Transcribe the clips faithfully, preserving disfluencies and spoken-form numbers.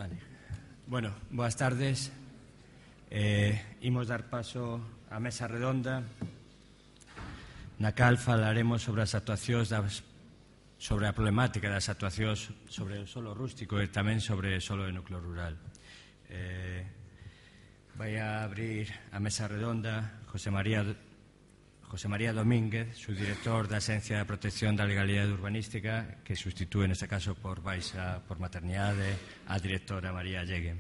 Vale. Bueno, boas tardes. Eh, imos dar paso á mesa redonda na cal falaremos sobre as actuacións das, sobre a problemática das actuacións sobre o solo rústico e tamén sobre o solo de núcleo rural. Eh, vai a abrir a mesa redonda José María José María Domínguez, subdirector da Axencia de Protección da Legalidade Urbanística, que sustitúe neste caso por baixa por maternidade a directora María Llegue.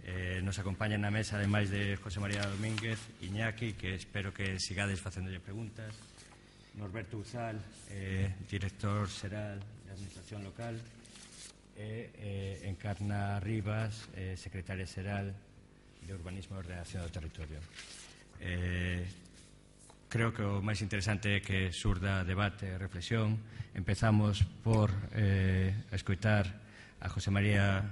Eh, nos acompaña na mesa, ademais de José María Domínguez, Iñaki, que espero que sigades facéndolle preguntas, Norberto Uzal, eh, director xeral de Administración Local, e eh, Encarna Rivas, eh, secretaria xeral de Urbanismo e Ordenación do Territorio. Eh, creo que o máis interesante é que surda debate e reflexión. Empezamos por eh, escoitar a José María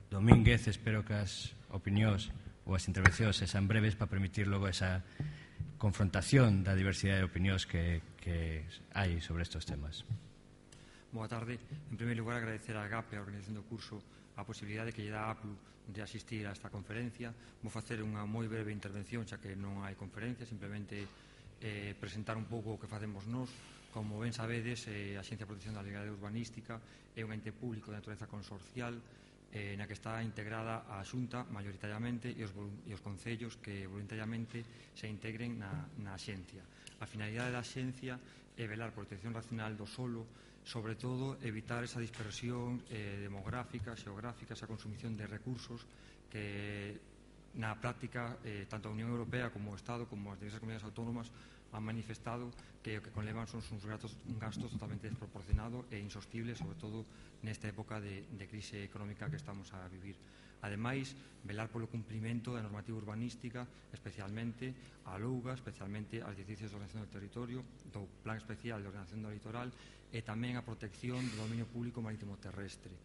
Domínguez. Espero que as opinións ou as intervencións sexan breves para permitir logo esa confrontación da diversidade de opinións que, que hai sobre estes temas. Boa tarde. En primeiro lugar, agradecer a GAPE, a organización do curso, a posibilidade que lle dá a APLU de asistir a esta conferencia. Vou facer unha moi breve intervención, xa que non hai conferencia, simplemente eh, presentar un pouco o que facemos nós. Como ben sabedes, eh, a Axencia de Protección da Legalidade Urbanística é un ente público de natureza consorcial eh, na que está integrada a Xunta maioritariamente e os, e os concellos que voluntariamente se integren na, na Axencia. A finalidade da Axencia é velar por protección racional do solo, sobre todo evitar esa dispersión eh, demográfica, xeográfica, esa consumición de recursos que na práctica eh, tanto a Unión Europea como o Estado como as diversas comunidades autónomas han manifestado que o que conlevan son uns gastos, un gastos totalmente desproporcionado e insostible, sobre todo nesta época de, de crise económica que estamos a vivir. Ademais, velar polo cumprimento da normativa urbanística, especialmente a Louga, especialmente as directrices de ordenación do territorio, do Plan Especial de Ordenación do Litoral e tamén a protección do dominio público marítimo terrestre.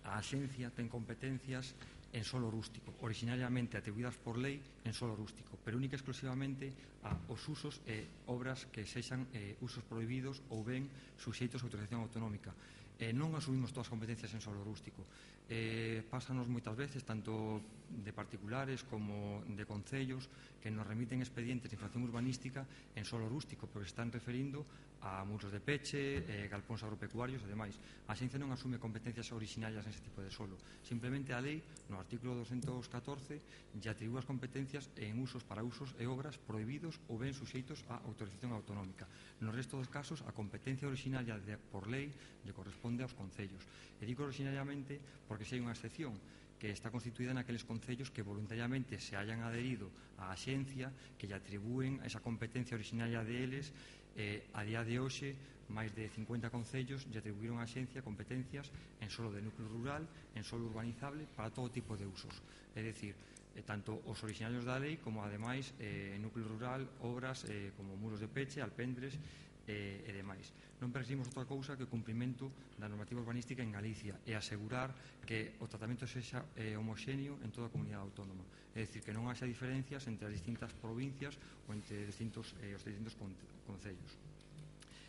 A Axencia ten competencias en solo rústico, originariamente atribuídas por lei en solo rústico, pero única e exclusivamente a os usos e obras que sexan eh, usos prohibidos ou ben suxeitos a autorización autonómica. Eh, non asumimos todas as competencias en solo rústico. Eh, pásanos moitas veces, tanto de particulares como de concellos, que nos remiten expedientes de infracción urbanística en solo rústico, pero están referindo a muros de peche, eh, galpóns agropecuarios e demais. A Axencia non asume competencias originarias nese tipo de solo. Simplemente a lei, no artículo doscientos catorce, lle atribúe as competencias en usos para usos e obras prohibidos ou ben suxeitos a autorización autonómica. No resto dos casos, a competencia originaria de, por lei lle corresponde aos concellos. E digo originariamente porque se hai unha excepción que está constituída naqueles concellos que voluntariamente se hayan adherido á Axencia, que lle atribúen esa competencia originaria deles. Eh, a día de hoxe, máis de cincuenta concellos lle atribuíron á Axencia competencias en solo de núcleo rural, en solo urbanizable, para todo tipo de usos. É dicir, eh, tanto os originarios da lei como, ademais, eh, en núcleo rural, obras eh, como muros de peche, alpendres e, e demais. Non perseguimos outra cousa que o cumprimento da normativa urbanística en Galicia e asegurar que o tratamento sexa eh, homoxéneo en toda a comunidade autónoma. É dicir, que non haxa diferencias entre as distintas provincias ou entre distintos, eh, os distintos concellos.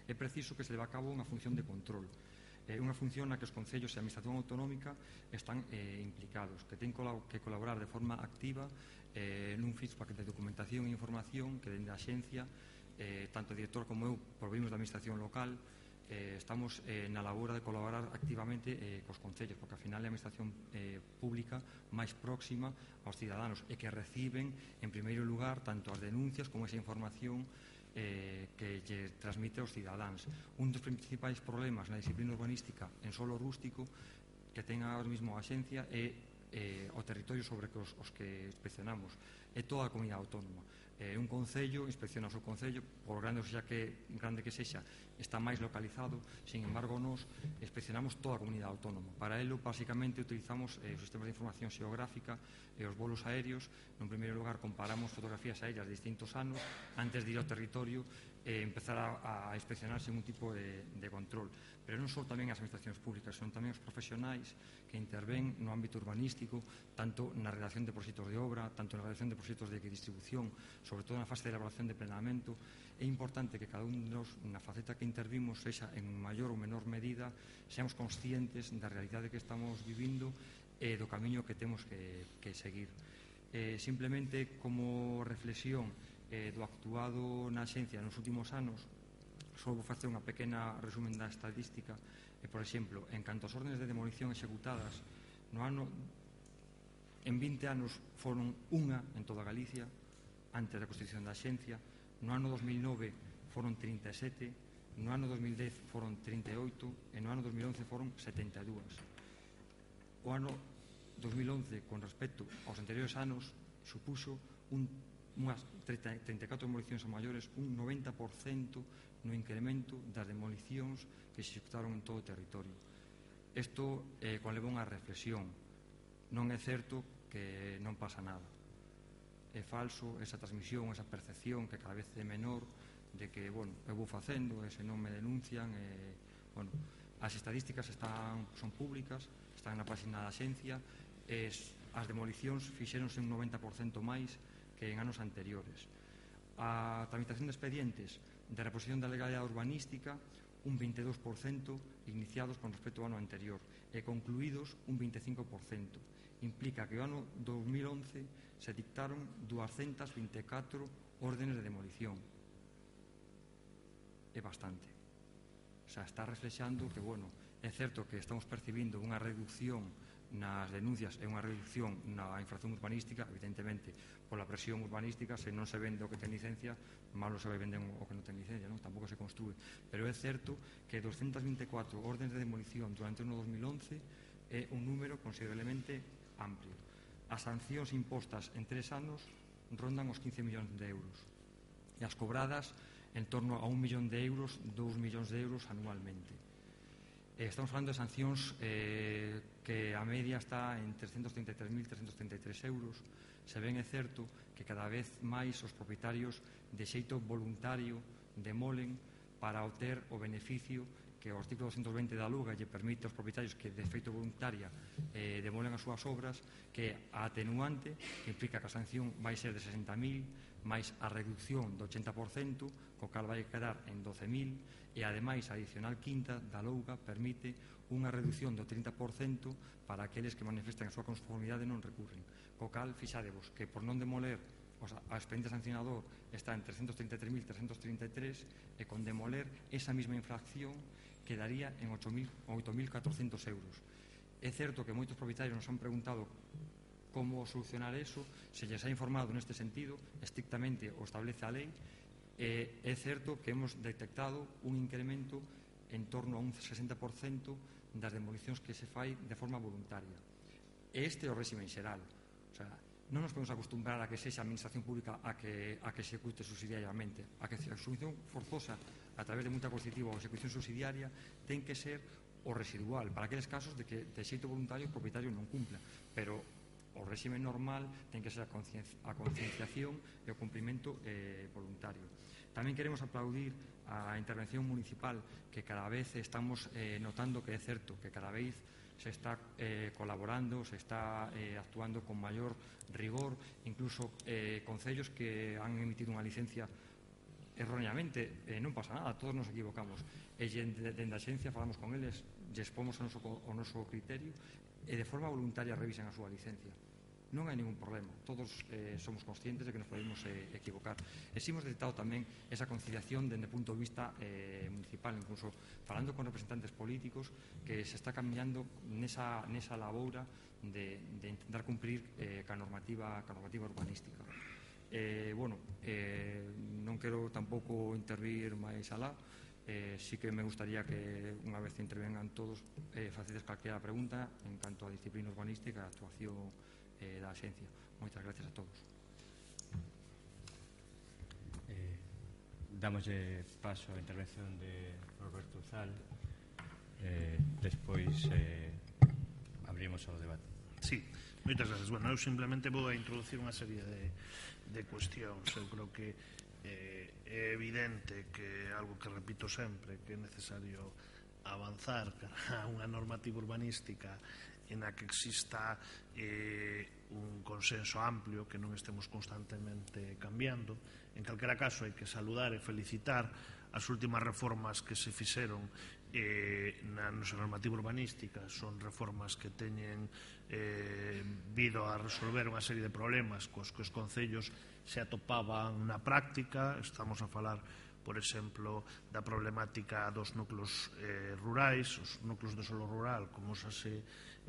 É preciso que se leve a cabo unha función de control, eh, unha función na que os concellos e a administración autonómica están eh, implicados, que ten que colaborar de forma activa eh, nun feedback de documentación e información que dende a Axencia, eh, tanto o director como eu provimos da administración local. Eh, estamos eh, na labora de colaborar activamente eh, cos concellos, porque ao final é a administración eh, pública máis próxima aos cidadáns e que reciben en primeiro lugar tanto as denuncias como esa información eh, que lle transmite aos cidadáns. Un dos principais problemas na disciplina urbanística en solo rústico que ten ahora mesmo a Axencia é eh, o territorio sobre os, os que inspeccionamos, é toda a comunidade autónoma. Eh, un concello inspecciona o seu concello, por grande xa que grande que sexa, está máis localizado. Sin embargo, nós inspeccionamos toda a comunidade autónoma. Para ello, basicamente, utilizamos eh, os sistemas de información xeográfica e os bolos aéreos. En primeiro lugar, comparamos fotografías aéreas de distintos anos antes de ir ao territorio e empezar a, a inspeccionar sin un tipo de, de control. Pero non só tamén as administracións públicas, son tamén os profesionais que interven no ámbito urbanístico, tanto na redacción de proxectos de obra, tanto na redacción de proxectos de distribución, sobre todo na fase de elaboración de planeamento. É importante que cada un de nós, na faceta que intervimos, sexa en maior ou menor medida, seamos conscientes da realidade que estamos vivindo e do camiño que temos que, que seguir. Eh, simplemente como reflexión eh, do actuado na Axencia nos últimos anos, só vou facer unha pequena resumen da estadística. E, por exemplo, en canto ás órdenes de demolición executadas, no ano, en vinte anos foron unha en toda Galicia, antes da constitución da Axencia. No ano dos mil nove foron trinta e sete, no ano dos mil dez foron trinta e oito e no ano dos mil once foron setenta e dúas. O ano dos mil once, con respecto aos anteriores anos, supuxo un, unhas trinta e catro demolicións a maiores, un noventa por cento no incremento das demolicións que se executaron en todo o territorio. Isto eh, conleva unha reflexión. Non é certo que non pasa nada. É falso esa transmisión, esa percepción que cada vez é menor de que, bueno, eu vou facendo e se non me denuncian. E, bueno, as estadísticas están, son públicas, están na página da Axencia. Es, as demolicións fixéronse un noventa por cento máis que en anos anteriores. A tramitación de expedientes de reposición da legalidade urbanística, un vinte e dous por cento iniciados con respecto ao ano anterior e concluídos un vinte e cinco por cento. Implica que o ano dos mil once se dictaron doscientas vinte e catro órdenes de demolición. É bastante. O sea, está reflexando que, bueno, é certo que estamos percibindo unha reducción nas denuncias e unha reducción na infracción urbanística, evidentemente, pola presión urbanística. Se non se vende o que ten licencia, malo se vai vender o que non ten licencia, non? Tampouco se construe. Pero é certo que doscientas vinte e catro órdenes de demolición durante o ano dos mil once é un número considerablemente amplio. As sancións impostas en tres anos rondan os quince millóns de euros e as cobradas en torno a un millón de euros, dous millóns de euros anualmente. Estamos falando de sancións eh, que a media está en trescentos trinta e tres mil trescentos trinta e tres euros. Se ben é certo que cada vez máis os propietarios de xeito voluntario demolen para obter o beneficio que o artículo doscientos veinte da Luga lle permite aos propietarios que de feito voluntaria eh, demolen as súas obras, que a atenuante, que implica que a sanción vai ser de sesenta mil, máis a reducción do ochenta por cento, co cal vai quedar en doce mil, e ademais a adicional quinta da Louga permite unha reducción do trinta por cento para aqueles que manifestan a súa conformidade e non recurren. Co cal, fixadevos que por non demoler, o sea, a expediente sancionador está en trescentos trinta e tres mil trescentos trinta e tres e con demoler esa mesma infracción quedaría en oito mil catrocentos euros. É certo que moitos propietarios nos han preguntado como solucionar eso, se lles ha informado neste sentido, estrictamente o establece a lei. Eh, é certo que hemos detectado un incremento en torno a un sesenta por cento das demolicións que se fai de forma voluntaria. Este é o réxime xeral. O sea, non nos podemos acostumbrar a que sexa a administración pública a que, a que se execute subsidiariamente. A que a execución forzosa a través de multa coercitiva ou execución subsidiaria ten que ser o residual para aqueles casos de que de xeito voluntario o propietario non cumpla. Pero o réxime normal ten que ser a concienciación e o cumprimento eh, voluntario. Tamén queremos aplaudir a intervención municipal, que cada vez estamos eh, notando que é certo, que cada vez se está eh, colaborando, se está eh, actuando con maior rigor, incluso eh, concellos que han emitido unha licencia erróneamente, eh, non pasa nada, todos nos equivocamos. E dende a Axencia falamos con eles, lles pomos o noso, o noso criterio e de forma voluntaria revisen a súa licencia. Non hai ningún problema, todos eh, somos conscientes de que nos podemos eh, equivocar. E si hemos detectado tamén esa conciliación dende o punto de vista eh, municipal, incluso falando con representantes políticos, que se está caminhando nesa, nesa laboura de, de intentar cumprir eh, ca normativa, ca normativa urbanística. Eh, bueno, eh, non quero tampouco intervir máis alá. Eh, sí que me gustaría que unha vez intervengan todos eh, facedes calquera pregunta en canto a disciplina urbanística e a actuación eh, da Axencia. Moitas gracias a todos. Eh, damos paso á intervención de Roberto Zal, eh, despois eh, abrimos o debate. Sí, moitas gracias. Bueno, eu simplemente vou a introducir unha serie de, de cuestións. Eu creo que É evidente que é algo que repito sempre, que é necesario avanzar cara a unha normativa urbanística en a que exista eh, un consenso amplio, que non estemos constantemente cambiando. En calquera caso, hai que saludar e felicitar as últimas reformas que se fixeron eh, na nosa normativa urbanística. Son reformas que teñen eh, vido a resolver unha serie de problemas cos que os concellos se atopaban na práctica. Estamos a falar, por exemplo, da problemática dos núcleos eh, rurais, os núcleos de solo rural, como xa se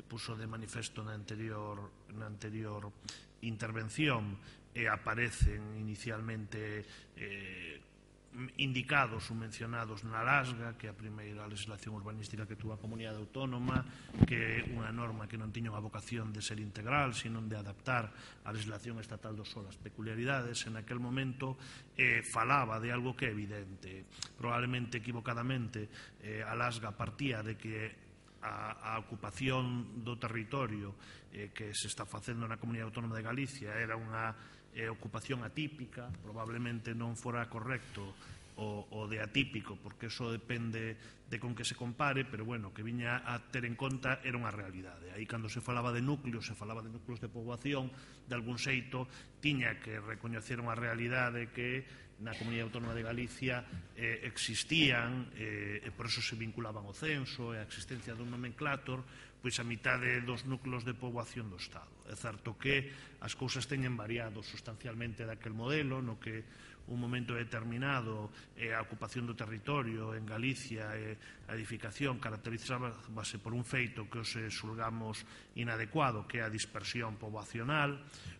puso de manifesto na anterior, na anterior intervención, e aparecen inicialmente eh, indicados ou mencionados na LASGA, que é a primeira legislación urbanística que tuvo a comunidade autónoma, que é unha norma que non tiña unha vocación de ser integral, sino de adaptar a legislación estatal do solo ás peculiaridades. En aquel momento eh, falaba de algo que é evidente, probablemente equivocadamente. eh, a LASGA partía de que a, a ocupación do territorio eh, que se está facendo na Comunidade Autónoma de Galicia era unha eh, ocupación atípica. Probablemente non fora correcto o, o de atípico, porque eso depende de con que se compare, pero bueno, que viña a ter en conta era unha realidade. Aí, cando se falaba de núcleos, se falaba de núcleos de poboación, de algún xeito tiña que recoñecer unha realidade que na Comunidade Autónoma de Galicia eh, existían, eh, e por eso se vinculaban ao censo e a existencia dun nomenclator, pois a mitade dos núcleos de poboación do Estado. É certo que as cousas teñen variado sustancialmente daquel modelo, no que un momento determinado eh, a ocupación do territorio en Galicia e a edificación caracterizábase por un feito que os xulgamos inadecuado, que é a dispersión poboacional.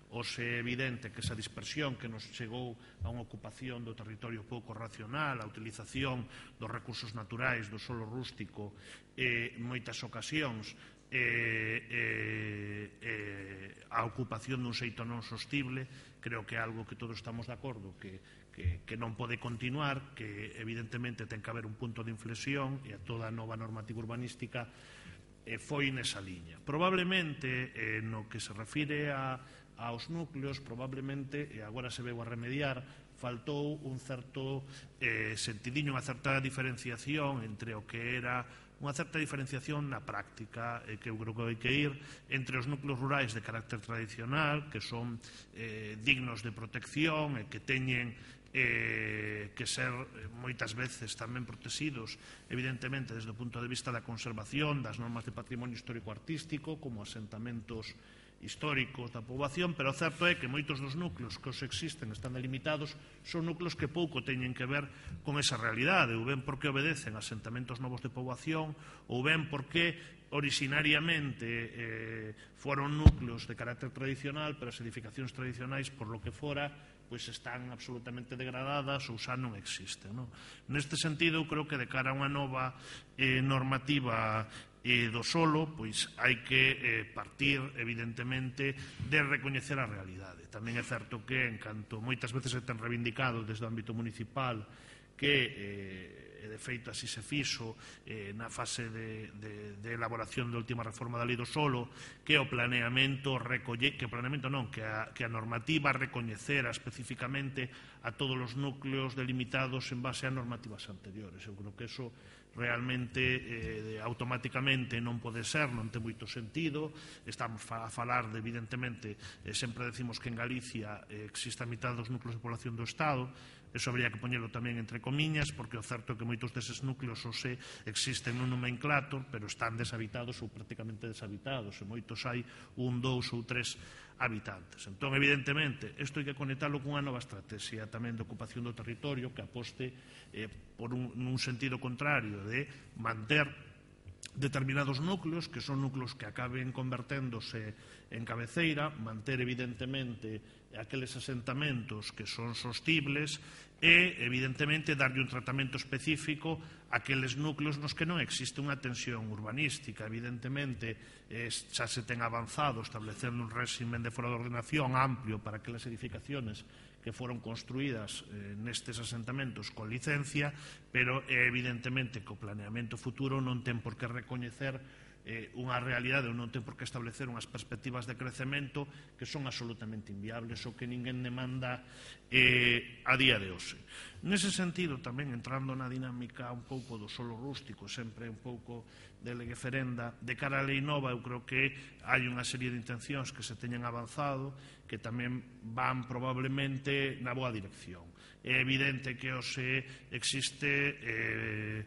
Os é evidente que esa dispersión que nos chegou a unha ocupación do territorio pouco racional, a utilización dos recursos naturais, do solo rústico, en moitas ocasións eh, eh, eh, a ocupación dun xeito non sostible, creo que é algo que todos estamos de acordo que, que, que non pode continuar, que evidentemente ten que haber un punto de inflexión, e a toda a nova normativa urbanística eh, foi nesa liña. Probablemente eh, no que se refire a aos núcleos, probablemente, e agora se veu a remediar, faltou un certo eh, sentidiño, unha certa diferenciación entre o que era unha certa diferenciación na práctica, eh, que eu creo que hai que ir entre os núcleos rurais de carácter tradicional, que son eh, dignos de protección e que teñen eh, que ser eh, moitas veces tamén protegidos, evidentemente, desde o punto de vista da conservación, das normas de patrimonio histórico-artístico, como asentamentos históricos da poboación, pero o certo é que moitos dos núcleos que os existen están delimitados son núcleos que pouco teñen que ver con esa realidade, ou ben porque obedecen a asentamentos novos de poboación, ou ben porque originariamente eh, foron núcleos de carácter tradicional, pero as edificacións tradicionais, por lo que fora, pois están absolutamente degradadas ou xa non existen, non? Neste sentido, eu creo que de cara a unha nova eh, normativa e do solo, pois hai que eh, partir, evidentemente, de recoñecer a realidade. Tamén é certo que, en canto moitas veces se ten reivindicado desde o ámbito municipal que, eh, de feito, así se fixo eh, na fase de, de, de elaboración da última reforma da lei do solo, que o planeamento recolle, que o planeamento non, que a, que a normativa recoñecera especificamente a todos os núcleos delimitados en base a normativas anteriores. Eu creo que eso realmente eh, automáticamente non pode ser, non ten moito sentido. Estamos a falar de, evidentemente, eh, sempre decimos que en Galicia eh, existe a mitad dos núcleos de población do Estado. Eso habría que poñelo tamén entre comiñas, porque o certo é que moitos deses núcleos ou se existen nun nomenclator, pero están deshabitados ou prácticamente deshabitados, e moitos hai un, dous ou tres habitantes. Entón, evidentemente, isto hai que conectalo cunha nova estrategia tamén de ocupación do territorio que aposte eh, por un, un sentido contrario de manter determinados núcleos, que son núcleos que acaben converténdose en cabeceira, manter evidentemente aqueles asentamentos que son sostibles e, evidentemente, darlle un tratamento específico a aqueles núcleos nos que non existe unha tensión urbanística. Evidentemente, eh, xa se ten avanzado establecendo un réximen de fora de ordenación amplio para aquelas edificaciones que foron construídas eh, nestes asentamentos con licencia, pero é evidentemente que o planeamento futuro non ten por que recoñecer eh, unha realidade, non ten por que establecer unhas perspectivas de crecemento que son absolutamente inviables ou que ninguén demanda eh, a día de hoxe. Nese sentido, tamén entrando na dinámica un pouco do solo rústico, sempre un pouco de legueferenda, de cara á lei nova, eu creo que hai unha serie de intencións que se teñen avanzado que tamén van probablemente na boa dirección. É evidente que hoxe existe eh,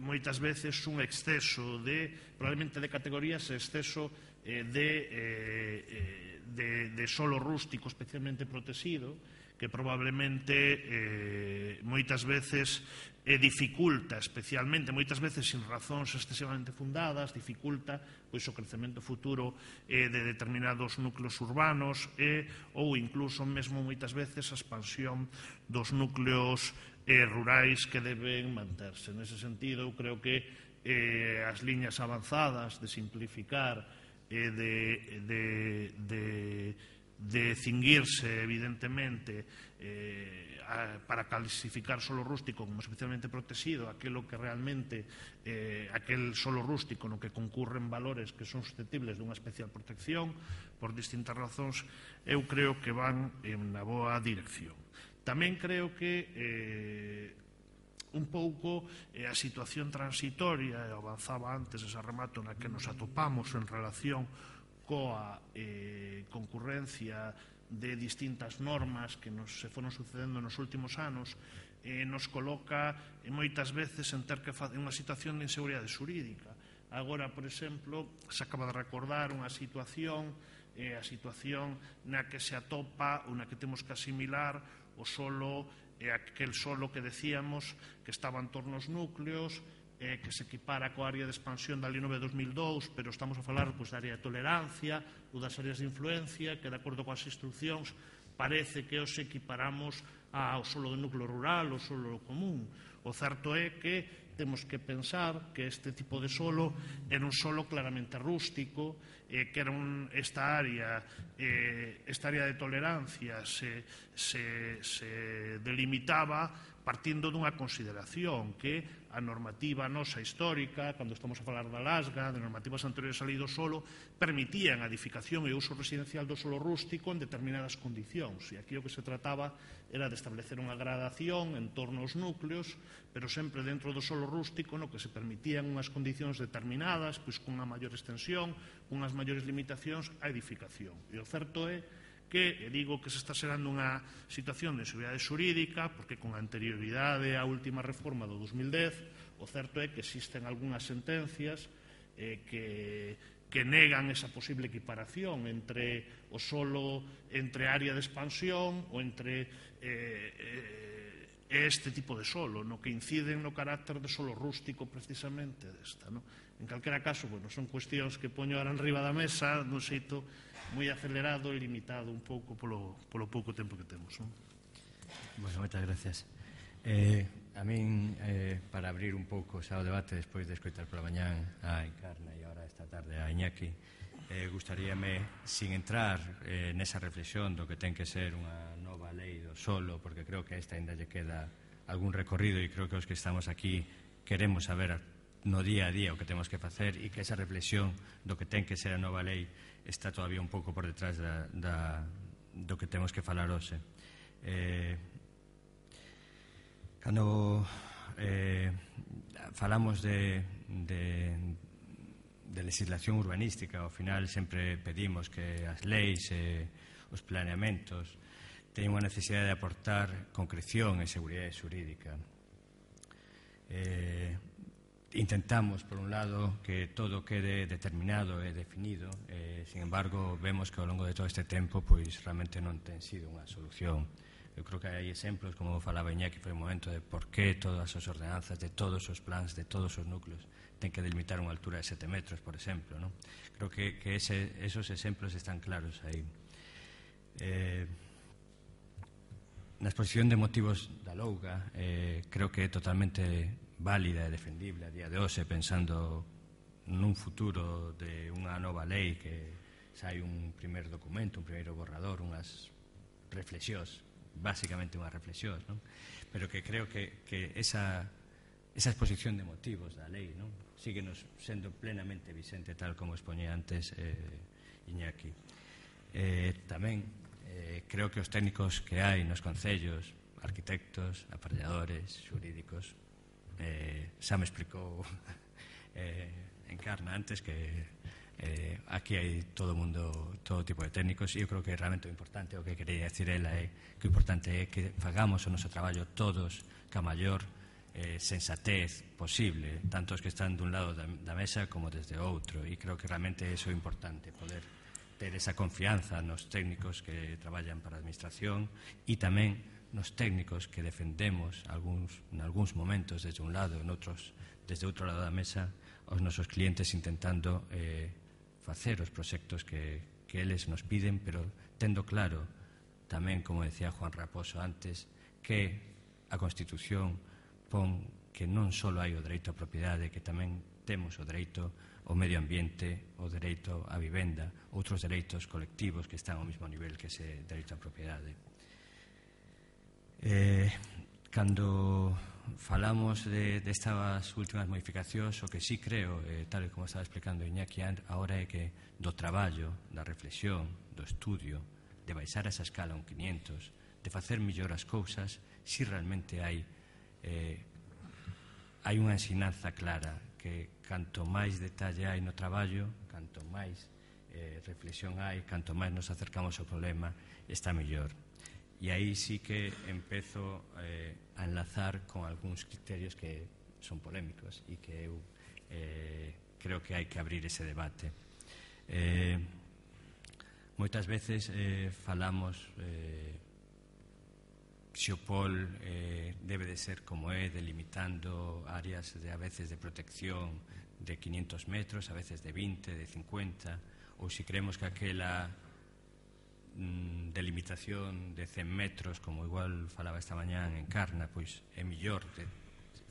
moitas veces un exceso de, probablemente de categorías, exceso eh, de, eh, de, de solo rústico especialmente protegido, que probablemente eh, moitas veces eh, dificulta, especialmente, moitas veces sin razóns excesivamente fundadas, dificulta pois, o crecemento futuro eh, de determinados núcleos urbanos eh, ou incluso mesmo moitas veces a expansión dos núcleos eh, rurais que deben manterse. Nese sentido, eu creo que eh, as liñas avanzadas de simplificar e eh, de, de, de de cinguirse, evidentemente, eh, a, para clasificar solo rústico como especialmente protegido, aquilo que realmente, eh, aquel solo rústico no que concurren valores que son susceptibles dunha especial protección, por distintas razóns, eu creo que van en na boa dirección. Tamén creo que eh, un pouco eh, a situación transitoria, e avanzaba antes ese remato na que nos atopamos en relación coa eh, concurrencia de distintas normas que nos se foron sucedendo nos últimos anos, eh, nos coloca eh, moitas veces en ter que facer unha situación de inseguridade xurídica. Agora, por exemplo, se acaba de recordar unha situación, eh, a situación na que se atopa ou na que temos que asimilar o solo, eh, aquel solo que decíamos que estaba en torno aos núcleos, Eh, que se equipara coa área de expansión da Lei nove de dos mil dous, pero estamos a falar pois, da área de tolerancia ou das áreas de influencia, que de acordo coas instruccións parece que os equiparamos ao solo do núcleo rural, ao solo común. O certo é que temos que pensar que este tipo de solo era un solo claramente rústico, eh, que era un, esta área eh, esta área de tolerancia se, se, se delimitaba partindo dunha consideración que a normativa nosa histórica, cando estamos a falar da Lasga, de normativas anteriores á lei do solo, permitían a edificación e o uso residencial do solo rústico en determinadas condicións. E aquí o que se trataba era de establecer unha gradación en torno aos núcleos, pero sempre dentro do solo rústico, no que se permitían unhas condicións determinadas, pois cunha maior extensión, unhas maiores limitacións á edificación. E o certo é que digo que se está xerando unha situación de inseguridade xurídica porque con anterioridade á última reforma do dos mil dez o certo é que existen algunhas sentencias eh, que, que negan esa posible equiparación entre o solo entre área de expansión ou entre eh, eh, este tipo de solo, no que inciden no carácter de solo rústico precisamente desta, no? En calquera caso, bueno, son cuestións que poño ahora en riba da mesa dun xeito moi acelerado e limitado un pouco polo, polo pouco tempo que temos, non? Bueno, moitas gracias. Eh, a min, eh, para abrir un pouco xa o debate despois de escoitar pola mañán a Encarna e agora esta tarde a Iñaki, eh, gustaríame, sin entrar eh, nesa reflexión do que ten que ser unha nova lei do solo, porque creo que a esta ainda lle queda algún recorrido e creo que os que estamos aquí queremos saber no día a día o que temos que facer e que esa reflexión do que ten que ser a nova lei está todavía un pouco por detrás da, da, do que temos que falar hoxe. Eh, cando eh, falamos de, de, de legislación urbanística, ao final sempre pedimos que as leis e os planeamentos teñen unha necesidade de aportar concreción e seguridade xurídica. Eh, Intentamos, por un lado, que todo quede determinado e definido, eh, sin embargo, vemos que ao longo de todo este tempo pois realmente non ten sido unha solución. Eu creo que hai exemplos, como falaba Iñaki, foi un momento de por que todas as ordenanzas de todos os plans, de todos os núcleos, ten que delimitar unha altura de sete metros, por exemplo, ¿no? Creo que, que ese, esos exemplos están claros aí. Eh, na exposición de motivos da Louga, eh, creo que é totalmente válida e defendible a día de hoxe, pensando nun futuro de unha nova lei que sai un primer documento, un primeiro borrador, unhas reflexións, basicamente unhas reflexións, non? Pero que creo que, que esa, esa exposición de motivos da lei, non? Síguenos sendo plenamente vicente, tal como expoñía antes eh, Iñaki. Eh, tamén eh, creo que os técnicos que hai nos concellos, arquitectos, aparelladores, xurídicos, eh, xa me explicou eh, Encarna antes que eh, aquí hai todo mundo, todo tipo de técnicos, e eu creo que realmente o importante, o que quería decir ela é que o importante é que fagamos o noso traballo todos ca maior eh, sensatez posible, tanto os que están dun lado da, da mesa como desde outro, e creo que realmente iso é importante, poder ter esa confianza nos técnicos que traballan para a administración e tamén nos técnicos que defendemos algúns, en algúns momentos desde un lado, en outros desde outro lado da mesa, aos nosos clientes intentando eh, facer os proxectos que, que eles nos piden, pero tendo claro tamén, como decía Juan Raposo antes, que a Constitución pon que non só hai o dereito á propiedade, que tamén temos o dereito ao medio ambiente, o dereito á vivenda, outros dereitos colectivos que están ao mesmo nivel que ese dereito á propiedade. Eh, cando falamos de, de estas últimas modificacións, o que sí creo, eh, tal como estaba explicando Iñaki agora, é que do traballo, da reflexión, do estudio, de baixar esa escala a un quinientos, de facer mellor as cousas, si realmente hai eh, hai unha ensinanza clara que canto máis detalle hai no traballo, canto máis eh, reflexión hai, canto máis nos acercamos ao problema, está mellor. E aí sí que empezo eh, a enlazar con algúns criterios que son polémicos e que eu eh, creo que hai que abrir ese debate. Eh, moitas veces eh, falamos eh, se o P O L eh, debe de ser como é, delimitando áreas de, a veces de protección de quinientos metros, a veces de vinte, de cincuenta, ou se creemos que aquela delimitación de cen metros, como igual falaba esta mañá en Encarna, pois é mellor de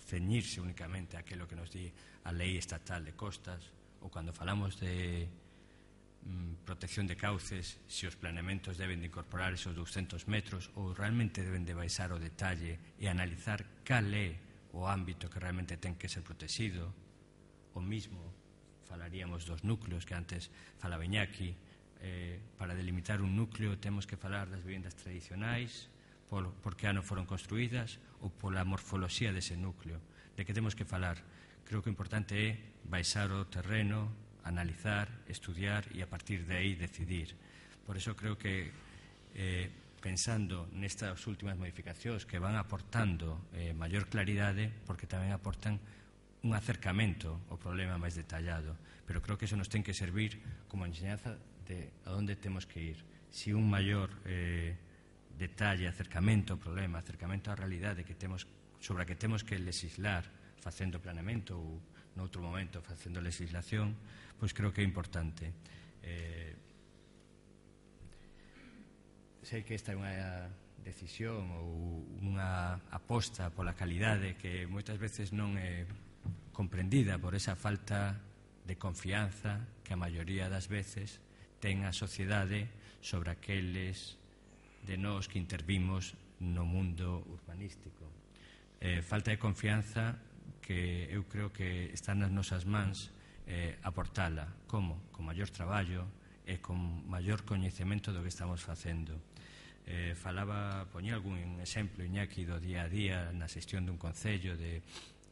ceñirse únicamente a aquilo que nos di a lei estatal de costas, ou cando falamos de mm, protección de cauces, se os planeamentos deben de incorporar esos douscentos metros ou realmente deben de baixar o detalle e analizar cal é o ámbito que realmente ten que ser protegido. O mismo falaríamos dos núcleos que antes falaba Iñaki. Eh, para delimitar un núcleo temos que falar das vivendas tradicionais, por, por que ano foron construídas ou pola morfoloxía dese núcleo. De que temos que falar? Creo que o importante é baixar o terreno, analizar, estudiar e a partir de aí decidir. Por eso creo que eh, pensando nestas últimas modificacións que van aportando eh, maior claridade, porque tamén aportan un acercamento ao problema máis detallado, pero creo que eso nos ten que servir como enseñanza de a onde temos que ir. Si un maior eh, detalle, acercamento ao problema, acercamento á realidade que temos, sobre a que temos que legislar facendo planeamento ou noutro momento facendo legislación, pois creo que é importante. Eh, sei que esta é unha decisión ou unha aposta pola calidade que moitas veces non é comprendida por esa falta de confianza que a maioría das veces ten a sociedade sobre aqueles de nós que intervimos no mundo urbanístico. Eh, falta de confianza que eu creo que está nas nosas mans eh, aportala. Como? Con maior traballo e con maior coñecemento do que estamos facendo. Eh, falaba, poñía algún exemplo Iñaki do día a día na xestión dun concello de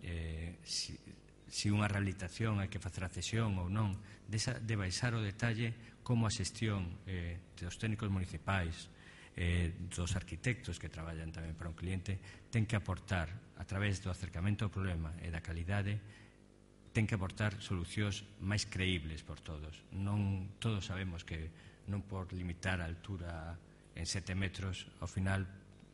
eh, si, si unha rehabilitación hai que facer a cesión ou non, de, esa, de baixar o detalle como a xestión eh, dos técnicos municipais, eh, dos arquitectos que traballan tamén para un cliente, ten que aportar, a través do acercamento ao problema e da calidade, ten que aportar solucións máis creíbles por todos. Non todos sabemos que non por limitar a altura en sete metros, ao final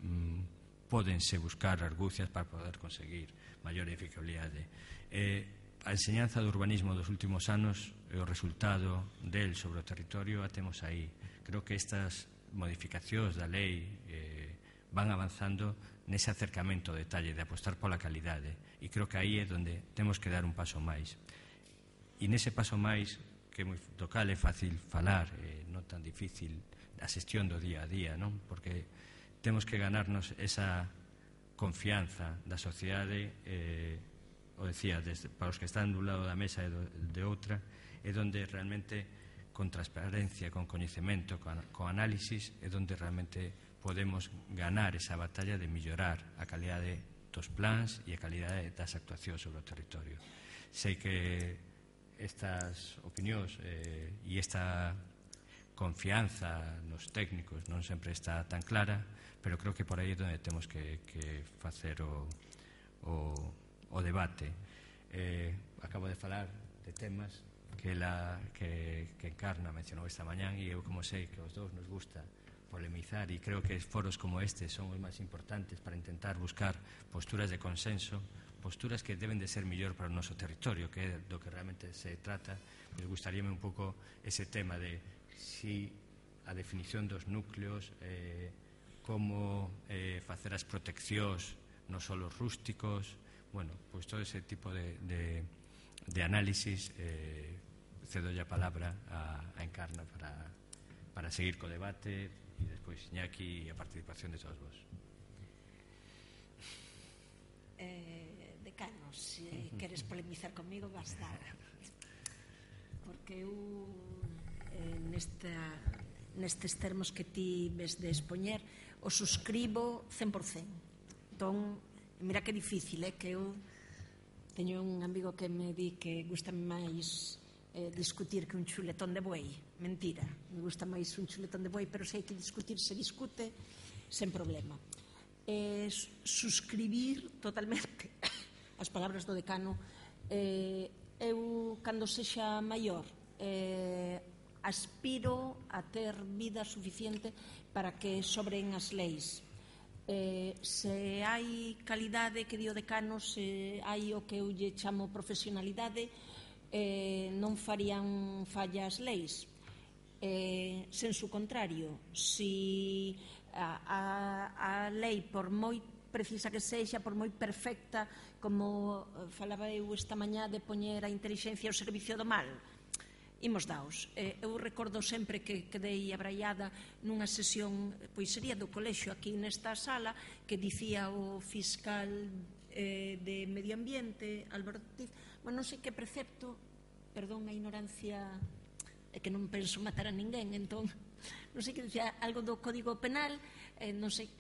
mmm, pódense buscar argucias para poder conseguir maior eficabilidade. Eh, A enseñanza do urbanismo dos últimos anos e o resultado del sobre o territorio a temos aí. Creo que estas modificacións da lei eh, van avanzando nese acercamento ao detalle de apostar pola calidade e creo que aí é onde temos que dar un paso máis. E nese paso máis, que moi, do cal é fácil falar, eh, non tan difícil a xestión do día a día, non? Porque temos que ganarnos esa confianza da sociedade eh, o decía, desde, para os que están dun lado da mesa e do, de outra, é onde realmente con transparencia, con coñecemento, con, con análisis, é onde realmente podemos ganar esa batalla de mellorar a calidade dos plans e a calidade das actuacións sobre o territorio. Sei que estas opinións eh, e esta confianza nos técnicos non sempre está tan clara, pero creo que por aí é onde temos que, que facer o, o, o debate. Eh, acabo de falar de temas que, la, que, que Encarna mencionou esta mañán, e eu como sei que os dous nos gusta polemizar, e creo que foros como este son os máis importantes para intentar buscar posturas de consenso, posturas que deben de ser mellor para o noso territorio, que é do que realmente se trata. Me gustaríame un pouco ese tema de si a definición dos núcleos, eh, como eh, facer as proteccións non só os rústicos, bueno, pois todo ese tipo de, de, de análisis. eh, cedo a palabra a, a Encarna para, para seguir co debate, e despois Iñaki e a participación de todos vos. Eh, decano, se queres polemizar comigo, basta, porque eu eh, nesta, nestes termos que ti ves de expoñer o suscribo cen por cen. Entón, mira que difícil, é eh, que eu teño un amigo que me di que gusta máis eh, discutir que un chuletón de buey. Mentira, me gusta máis un chuletón de buey, pero se hai que discutir, se discute sen problema. Eh, suscribir totalmente as palabras do decano. eh, eu, cando sexa maior, eh, aspiro a ter vida suficiente para que sobren as leis. Eh, se hai calidade, que di o decano, se hai o que eu lle chamo profesionalidade, eh, non farían fallas leis. Eh, sensu contrario, si a, a, a lei, por moi precisa que sexa, por moi perfecta, como falaba eu esta mañá de poñer a intelixencia ao servicio do mal, imos daos. Eh, eu recordo sempre que quedei abraiada nunha sesión, pois sería do colexio aquí nesta sala, que dicía o fiscal eh, de Medio Ambiente, Álvaro Ortiz, bueno, non sei que precepto, perdón a ignorancia, é que non penso matar a ninguén, entón, non sei que dicía algo do Código Penal, eh, non sei,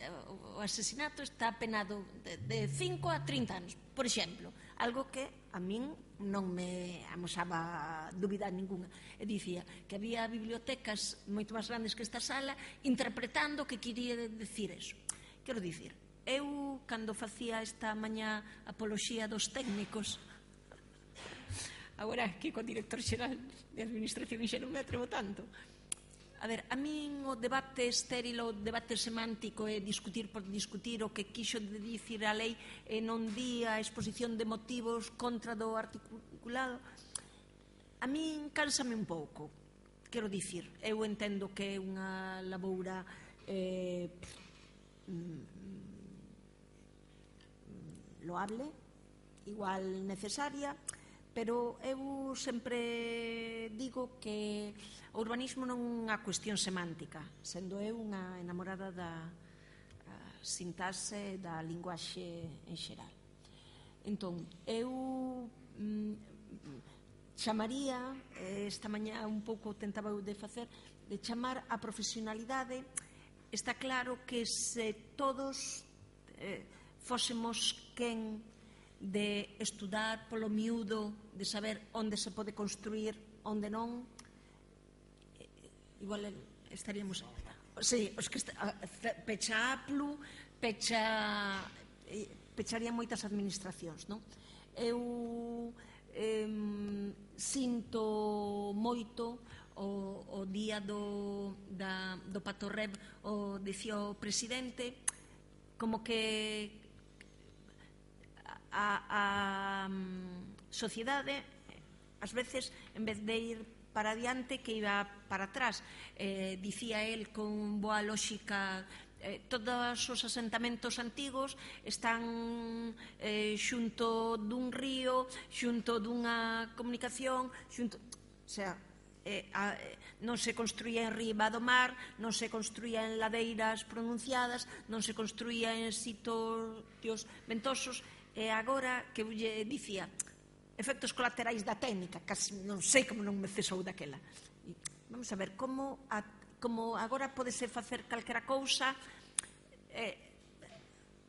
o asesinato está penado de, de cinco a trinta anos, por exemplo, algo que a min non me amosaba dúbida ninguna. E dicía que había bibliotecas moito máis grandes que esta sala interpretando o que quería decir eso. Quero dicir, eu, cando facía esta mañá apoloxía dos técnicos, agora que co director xeral de Administración xa non me atrevo tanto. A ver, a min o debate estéril, o debate semántico é discutir por discutir o que quixo de dicir a lei e non di a exposición de motivos contra do articulado. A min cánsame un pouco, quero dicir, eu entendo que é unha laboura eh, loable, igual necesaria, pero eu sempre digo que o urbanismo non é unha cuestión semántica, sendo eu unha enamorada da sintaxe da linguaxe en xeral. Entón, eu mm, chamaría, esta mañá un pouco tentaba eu de facer, de chamar a profesionalidade. Está claro que se todos eh, fósemos quen de estudar polo miúdo, de saber onde se pode construir, onde non, igual estaríamos... Sí, os que está, pecha Aplu, pecha... pecharían moitas administracións, non? Eu eh, sinto moito o, o día do, da, do Patorreb, o dicía o presidente, como que a, a sociedade ás veces, en vez de ir para adiante, que iba para atrás. Eh, dicía el con boa lógica, eh, todos os asentamentos antigos están eh, xunto dun río, xunto dunha comunicación, xunto... O sea, eh, a, non se construía en riba do mar, non se construía en ladeiras pronunciadas, non se construía en sitios ventosos. E agora que eu lle dicía efectos colaterais da técnica, casi non sei como non me cesou daquela. Vamos a ver, como, a, como agora podese facer calquera cousa, eh,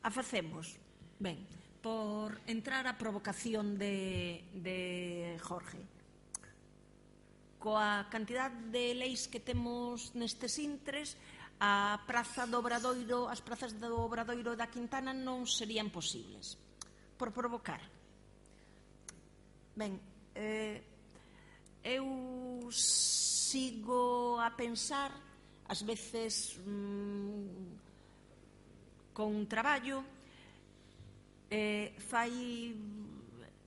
a facemos. Ben, por entrar á provocación de, de Jorge. Coa cantidad de leis que temos nestes intres, a praza do Obradoiro, as prazas do Obradoiro da Quintana non serían posibles. Por provocar. Ben, eh, eu sigo a pensar, ás veces mmm, con traballo, eh, fai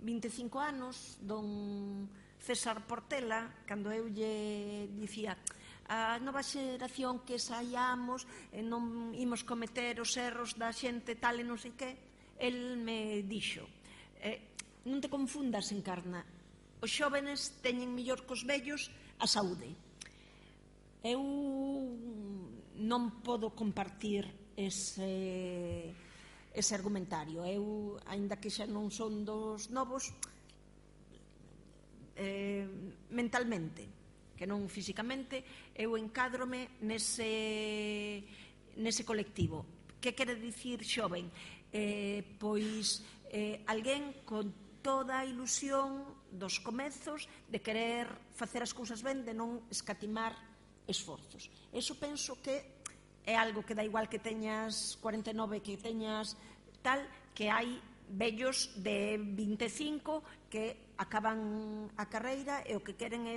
vinte e cinco anos, don César Portela, cando eu lle dicía a nova xeración que saiamos e non imos cometer os erros da xente tal e non sei que, el me dixo eh, non te confundas, Encarna, os xóvenes teñen mellor cos vellos a saúde. Eu non podo compartir ese, ese argumentario. Eu, aínda que xa non son dos novos, eh, mentalmente, que non físicamente, eu encádrome nese, nese colectivo. Que quere dicir xoven? Eh, pois eh, alguén con toda a ilusión dos comezos de querer facer as cousas ben, de non escatimar esforzos. Eso penso que é algo que dá igual que teñas cuarenta e nove, que teñas tal, que hai vellos de vinte e cinco que acaban a carreira e o que queren é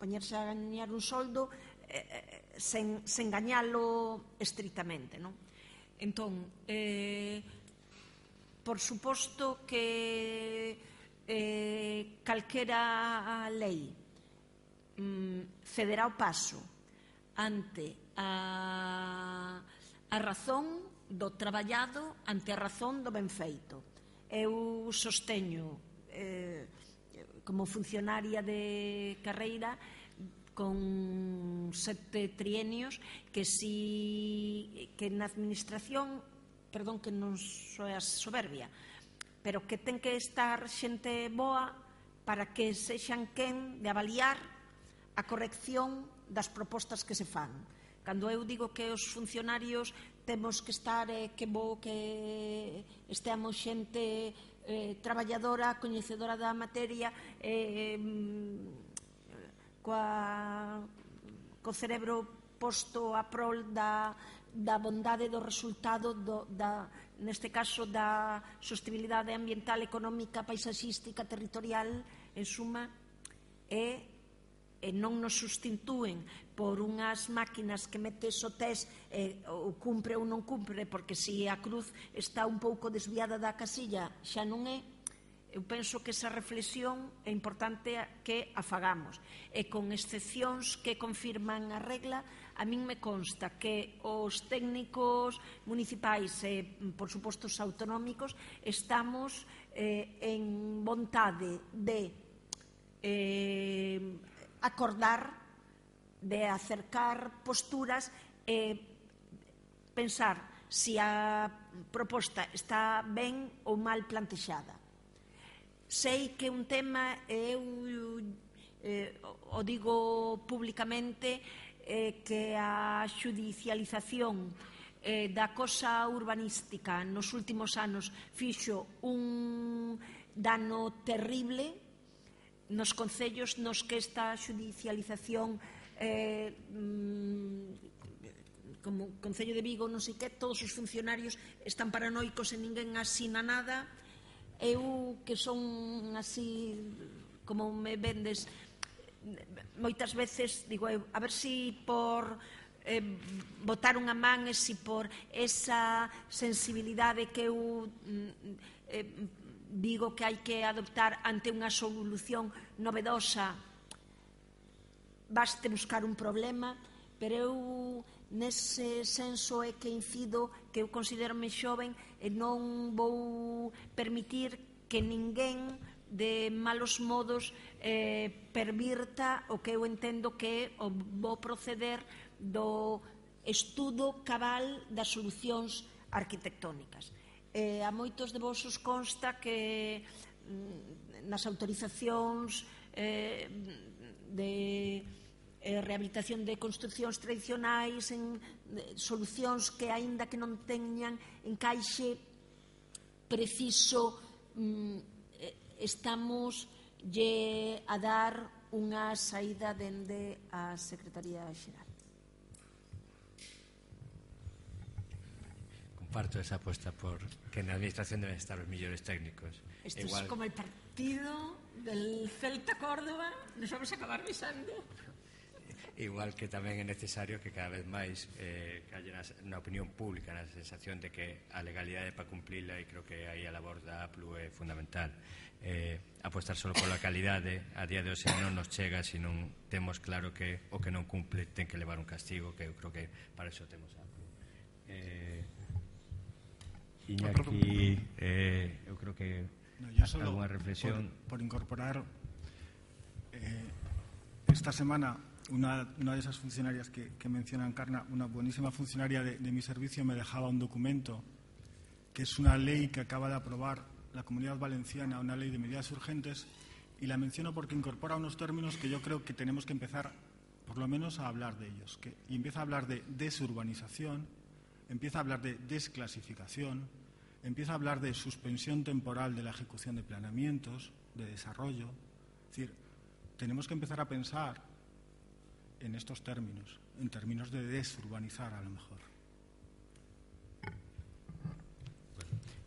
poñerse a gañar un soldo eh, sen, sen gañalo estritamente, non? Entón, eh, por suposto que eh, calquera lei mm, cederá o paso ante a, a razón do traballado, ante a razón do ben feito. Eu sosteño eh, como funcionaria de carreira con sete trienios que si que na administración, perdón que non soa soberbia, pero que ten que estar xente boa para que sexan quen de avaliar a corrección das propostas que se fan. Cando eu digo que os funcionarios temos que estar eh, que bo que esteamos xente eh, traballadora, coñecedora da materia, eh, coa, co cerebro posto a prol da, da bondade do resultado, do, da, neste caso da sostenibilidade ambiental, económica, paisaxística, territorial, en suma, e, e non nos sustitúen por unhas máquinas que metes o test e o cumpre ou non cumpre, porque se a cruz está un pouco desviada da casilla xa non é. Eu penso que esa reflexión é importante que a fagamos, e con excepcións que confirman a regla, a min me consta que os técnicos municipais e, por suposto, os autonómicos estamos eh, en vontade de eh, acordar, de acercar posturas e pensar se a proposta está ben ou mal plantexada. Sei que un tema, eu eh, o digo públicamente, eh, que a xudicialización eh, da cosa urbanística nos últimos anos fixo un dano terrible nos concellos nos que esta xudicialización eh, como Concello de Vigo, non sei que, todos os funcionarios están paranoicos e ninguén asina nada. Eu, que son así como me vendes moitas veces, digo eu, a ver si por eh, botar unha man e si por esa sensibilidade que eu eh, digo que hai que adoptar ante unha solución novedosa, baste buscar un problema, pero eu nese senso é que incido que eu considero-me xoven e non vou permitir que ninguén de malos modos eh, pervirta o que eu entendo que é o bo proceder do estudo cabal das solucións arquitectónicas. E a moitos de vos os consta que nas autorizacións eh, de eh, rehabilitación de construcións tradicionais, en eh, solucións que aínda que non teñan encaixe preciso, mm, eh, estamos lle a dar unha saída dende a Secretaría Xeral. Comparto esa apuesta por que na administración deben estar os millores técnicos. Esto Igual... es como el partido del Celta Córdoba, nos vamos a acabar besando. Igual que tamén é necesario que cada vez máis eh, que haya na opinión pública na sensación de que a legalidade para cumplila, e creo que aí a labor da A P L U é fundamental. Eh, apostar solo pola calidade a día de hoxe non nos chega se non temos claro que o que non cumple ten que levar un castigo, que eu creo que para eso temos a A P L U. Eh, Iñaki, eh, eu creo que no, yo solo alguna reflexión por, por incorporar eh, esta semana una, una de esas funcionarias que, que menciona Encarna, una buenísima funcionaria de, de mi servicio, me dejaba un documento que es una ley que acaba de aprobar la Comunidad Valenciana, una ley de medidas urgentes, y la menciono porque incorpora unos términos que yo creo que tenemos que empezar por lo menos a hablar de ellos, que, y empieza a hablar de desurbanización, empieza a hablar de desclasificación, empieza a hablar de suspensión temporal de la ejecución de planeamientos, de desarrollo. Es decir, tenemos que empezar a pensar en estos términos, en términos de desurbanizar a lo mejor.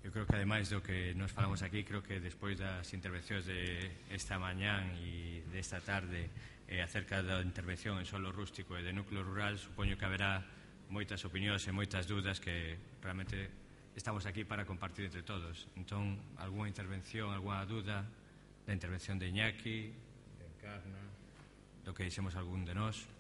Eu creo que ademais do que nos falamos aquí, creo que despois das intervencións de esta mañán e desta tarde eh, acerca da intervención en solo rústico e de núcleo rural, supoño que haberá moitas opinións e moitas dudas que realmente estamos aquí para compartir entre todos. Entón, algunha intervención, algunha duda da intervención de Iñaki, de Encarna, do que dixemos algún de nós.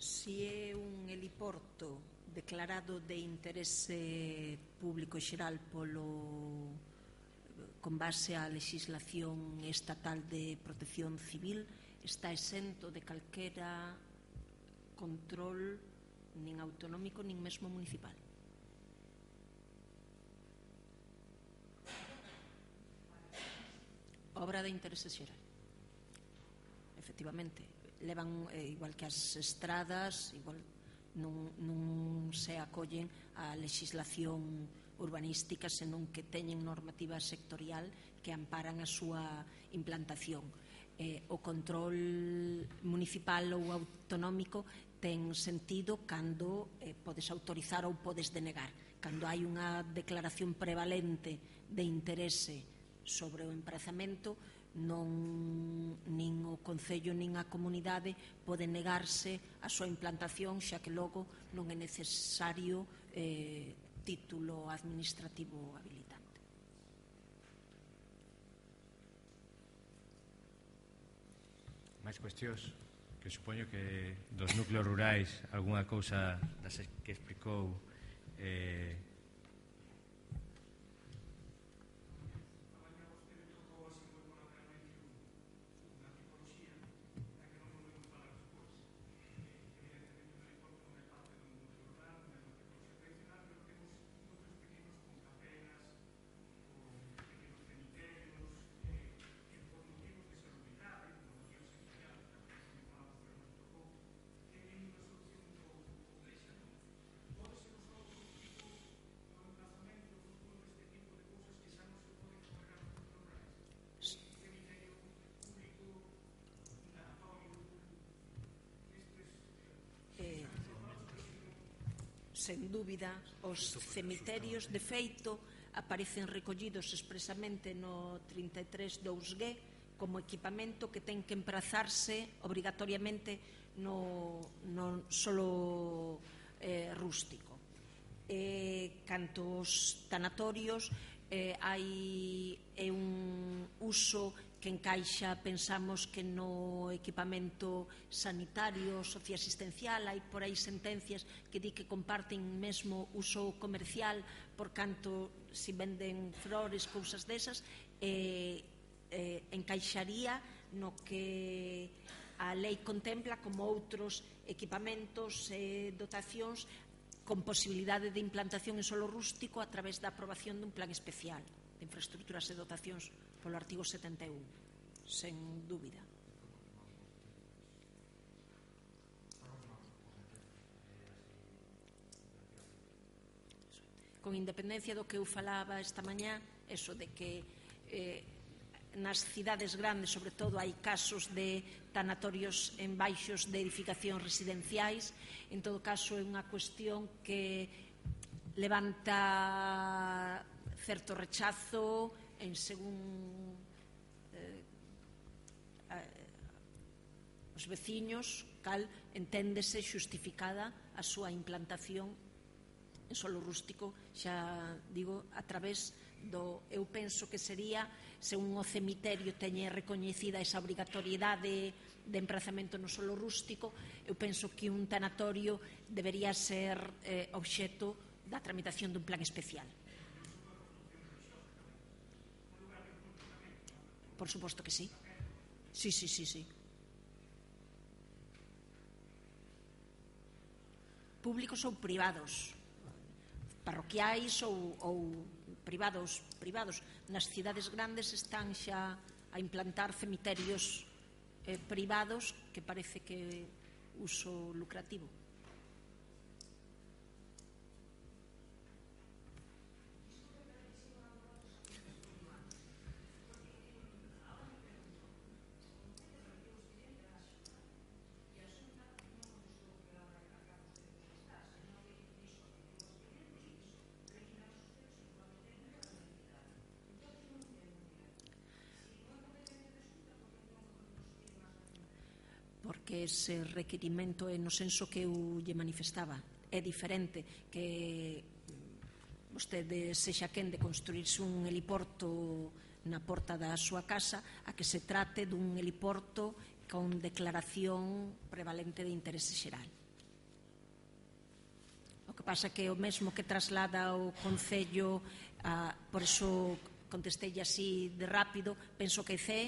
Si é un heliporto declarado de interese público xeral polo con base á legislación estatal de protección civil, está exento de calquera control nin autonómico nin mesmo municipal. Obra de interese xeral. Efectivamente, levan, eh, igual que as estradas, igual non, non se acollen a legislación urbanística, senón que teñen normativa sectorial que amparan a súa implantación. Eh, o control municipal ou autonómico ten sentido cando eh, podes autorizar ou podes denegar. Cando hai unha declaración prevalente de interese sobre o emprazamento, non nin o Concello nin a comunidade pode negarse a súa implantación, xa que logo non é necesario eh, título administrativo habilitante. máis cuestións, que supoño que dos núcleos rurais algunha cousa das que explicou eh, sen dúbida, os cemiterios, de feito, aparecen recollidos expresamente no trinta e tres dous G como equipamento que ten que emprazarse obrigatoriamente no, no solo eh, rústico. Eh, canto os tanatorios, eh, hai é un uso que encaixa, pensamos que no equipamento sanitario, socioasistencial, hai por aí sentencias que di que comparten mesmo uso comercial, por canto si venden flores, cousas desas, eh, eh, encaixaría no que a lei contempla como outros equipamentos e eh, dotacións con posibilidade de implantación en solo rústico a través da aprobación dun plan especial de infraestructuras e dotacións polo artigo setenta e un, sen dúbida. Con independencia do que eu falaba esta mañá, eso de que eh, nas cidades grandes, sobre todo, hai casos de tanatorios en baixos de edificacións residenciais. En todo caso, é unha cuestión que levanta certo rechazo en según eh, eh, os veciños, cal enténdese xustificada a súa implantación en solo rústico, xa digo, a través do, eu penso que sería, se un o cemiterio teñe recoñecida esa obrigatoriedade de emprazamento no solo rústico, eu penso que un tanatorio debería ser eh, obxecto da tramitación dun plan especial. Por suposto que sí. Sí, sí, sí, sí. Públicos ou privados, parroquiais ou, ou privados, privados. Nas cidades grandes están xa a implantar cemiterios eh, privados que parece que uso lucrativo. Porque ese requirimento é no senso que eu lle manifestaba. É diferente que vostede sexa quen de construirse un heliporto na porta da súa casa a que se trate dun heliporto con declaración prevalente de interese xeral. O que pasa que o mesmo que traslada o Concello, a, por iso contestei así de rápido, penso que C E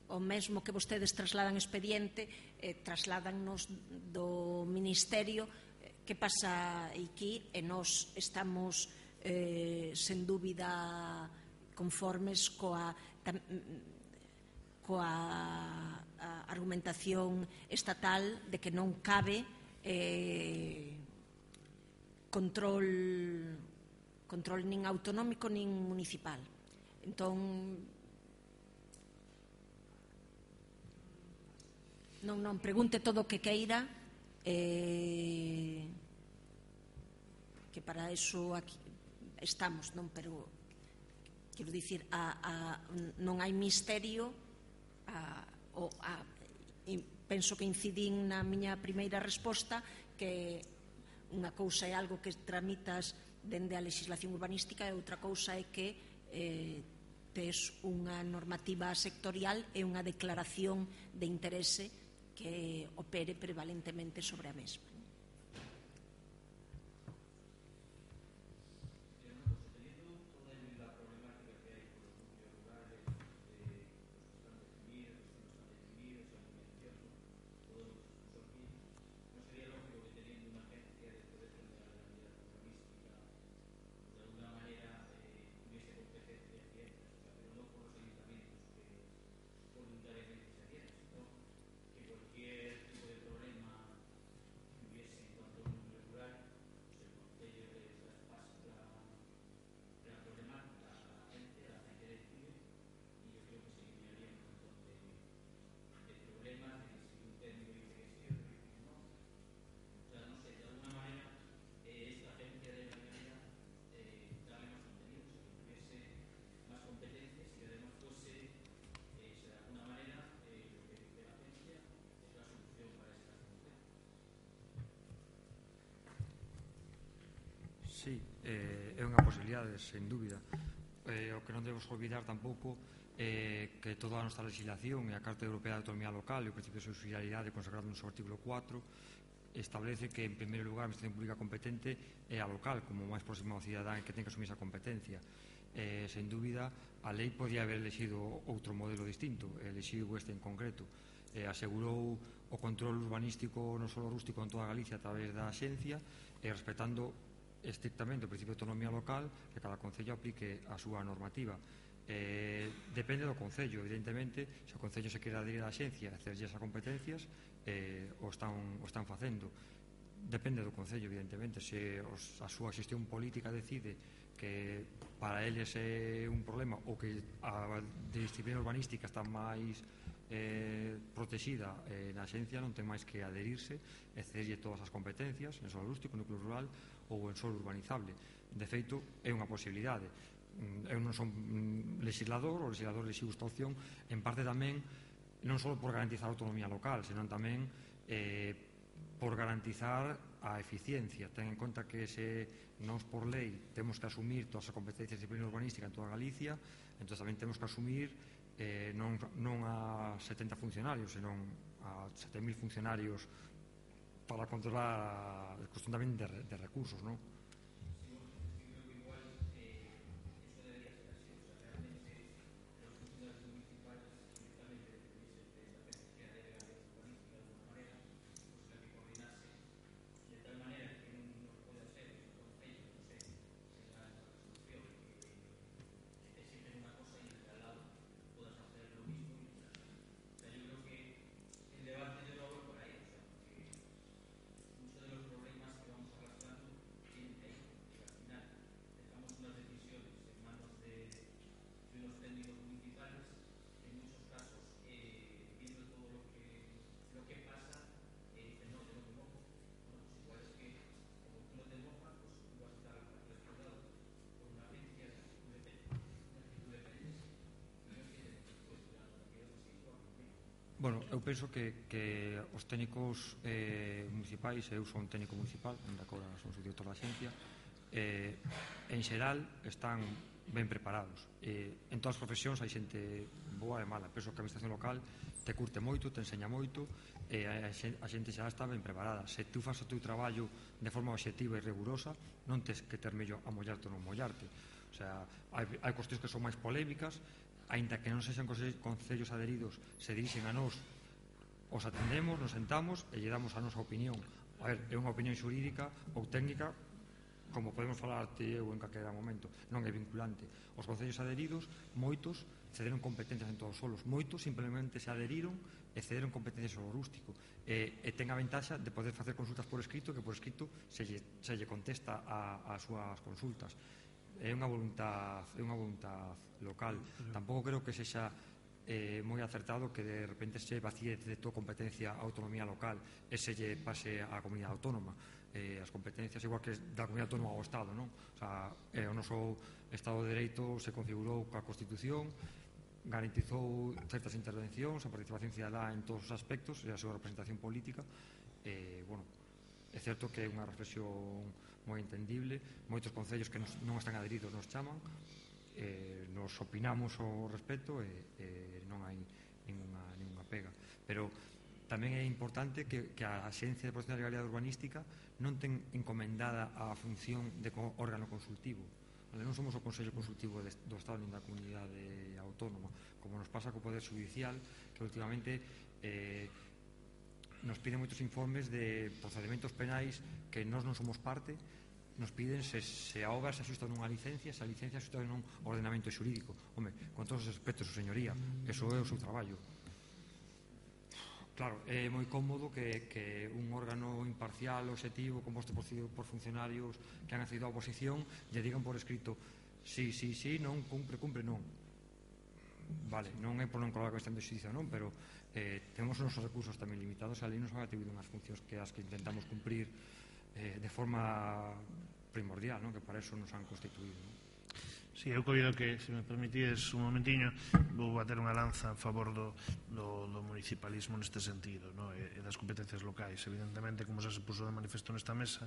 o mesmo que vostedes trasladan expediente, eh, trasladannos do Ministerio. Que pasa aquí? E nós estamos eh, sen dúbida conformes coa, tam, coa a argumentación estatal de que non cabe eh, control, control nin autonómico nin municipal. Entón, non, non, pregunte todo o que queira, eh, que para eso aquí estamos, non, pero quero dicir, a, a, non hai misterio, a, o, a, penso que incidín na miña primeira resposta que unha cousa é algo que tramitas dende a legislación urbanística e outra cousa é que eh, tes unha normativa sectorial e unha declaración de interese que opere prevalentemente sobre a mesma. sí, eh, é unha posibilidade, sen dúbida. Eh, o que non debemos olvidar tampouco eh, que toda a nosa legislación e a Carta Europea de Autonomía Local e o principio de subsidiariedade consagrado no seu artículo cuatro establece que, en primeiro lugar, a administración pública competente é a local, como máis próximo ao cidadán que ten que asumir esa competencia. Eh, sen dúbida, a lei podía haber elexido outro modelo distinto, elexido este en concreto. Eh, asegurou o control urbanístico non só rústico en toda Galicia a través da axencia e respetando estrictamente o principio de autonomía local, que cada concello aplique a súa normativa. Eh, depende do concello, evidentemente, se o concello se quere adherir á axencia e hacerlle esas competencias, eh, o, están, o están facendo. Depende do concello, evidentemente, se os, a súa xestión política decide que para eles é un problema ou que a disciplina urbanística está máis eh, protexida eh, na axencia, non ten máis que adherirse e cederlle todas as competencias en solo rústico, núcleo rural ou en solo urbanizable. De feito, é unha posibilidade. Eu non son legislador, o legislador exiu esta opción en parte tamén non só por garantizar a autonomía local, senón tamén eh, por garantizar a eficiencia. Ten en conta que se nós por lei temos que asumir todas as competencias de disciplina urbanística en toda Galicia, entón tamén temos que asumir eh, non, non a setenta funcionarios, senón a sete mil funcionarios para controlar a cuestión tamén de, de recursos, non? Bueno, eu penso que, que os técnicos eh, municipais, eu son técnico municipal, ainda que agora son subdirector da axencia, eh, en xeral están ben preparados. Eh, en todas as profesións hai xente boa e mala. Penso que a administración local te curte moito, te enseña moito, e a xente xa está ben preparada. Se tú fas o teu traballo de forma obxectiva e rigurosa, non tes que ter mello a mollarte ou non mollarte. O sea, hai, hai cuestións que son máis polémicas, aínda que non sexan concellos adheridos, se dirixen a nós, os atendemos, nos sentamos e lle damos a nosa opinión. A ver, é unha opinión xurídica ou técnica, como podemos falar ti eu en calquera momento, non é vinculante. Os concellos adheridos, moitos, cederon competencias en todos os solos, moitos simplemente se adheriron e cederon competencias ao rústico, e, e ten a ventaxa de poder facer consultas por escrito, que por escrito se lle, se lle contesta a, a súas consultas. É unha voluntad, é unha voluntad local. Tampouco creo que sexa eh, moi acertado que de repente se vacíe de toda competencia a autonomía local e se lle pase á comunidade autónoma. Eh, as competencias igual que da comunidade autónoma ao Estado, non? O sea, eh, o noso Estado de Dereito se configurou coa Constitución, garantizou certas intervencións, a participación cidadá en todos os aspectos e a súa representación política. Eh, bueno, é certo que é unha reflexión moi entendible. Moitos concellos que non están adheridos nos chaman, eh, nos opinamos ao respecto e, e non hai ninguna, ninguna pega. Pero tamén é importante que, que a Axencia de Protección da Legalidade Urbanística non ten encomendada a función de órgano consultivo. Non somos o Consello Consultivo do Estado nin da Comunidade Autónoma, como nos pasa co Poder Judicial, que últimamente eh, nos piden moitos informes de procedementos penais que nós non somos parte, nos piden se, se a obra se axusta nunha licencia, se a licencia se axusta nun ordenamento xurídico. Home, con todos os aspectos, su señoría, eso é o seu traballo. Claro, é moi cómodo que, que un órgano imparcial, obxectivo, composto por, por funcionarios que han accedido á oposición, lle digan por escrito sí, sí, sí, non, cumpre, cumpre, non. Vale, non é por non colar a cuestión de xusticia, non, pero eh, temos os nosos recursos tamén limitados, a lei nos ha atribuído unhas funcións que as que intentamos cumprir eh, de forma primordial, non? Que para eso nos han constituído, non? Sí, Sí, eu coido que, se me permitides un momentiño, vou bater unha lanza a favor do, do, do municipalismo neste sentido, no? e, e das competencias locais. Evidentemente, como xa se puso de manifesto nesta mesa,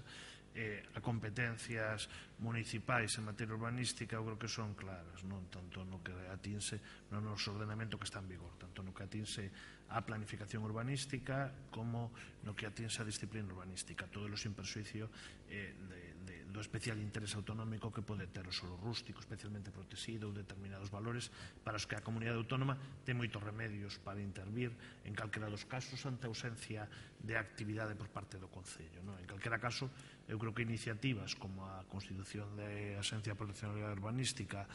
eh, a competencias municipais en materia urbanística eu creo que son claras, non tanto no que atinse no noso ordenamento que está en vigor, tanto no que atinse a planificación urbanística como no que atinse a disciplina urbanística, todo lo sin persuicio eh, de, de, do especial interés autonómico que pode ter o solo rústico, especialmente protegido ou determinados valores para os que a comunidade autónoma ten moitos remedios para intervir en calquera dos casos ante a ausencia de actividade por parte do Concello, non? En calquera caso, eu creo que iniciativas como a constitución da Axencia de Protección Urbanística,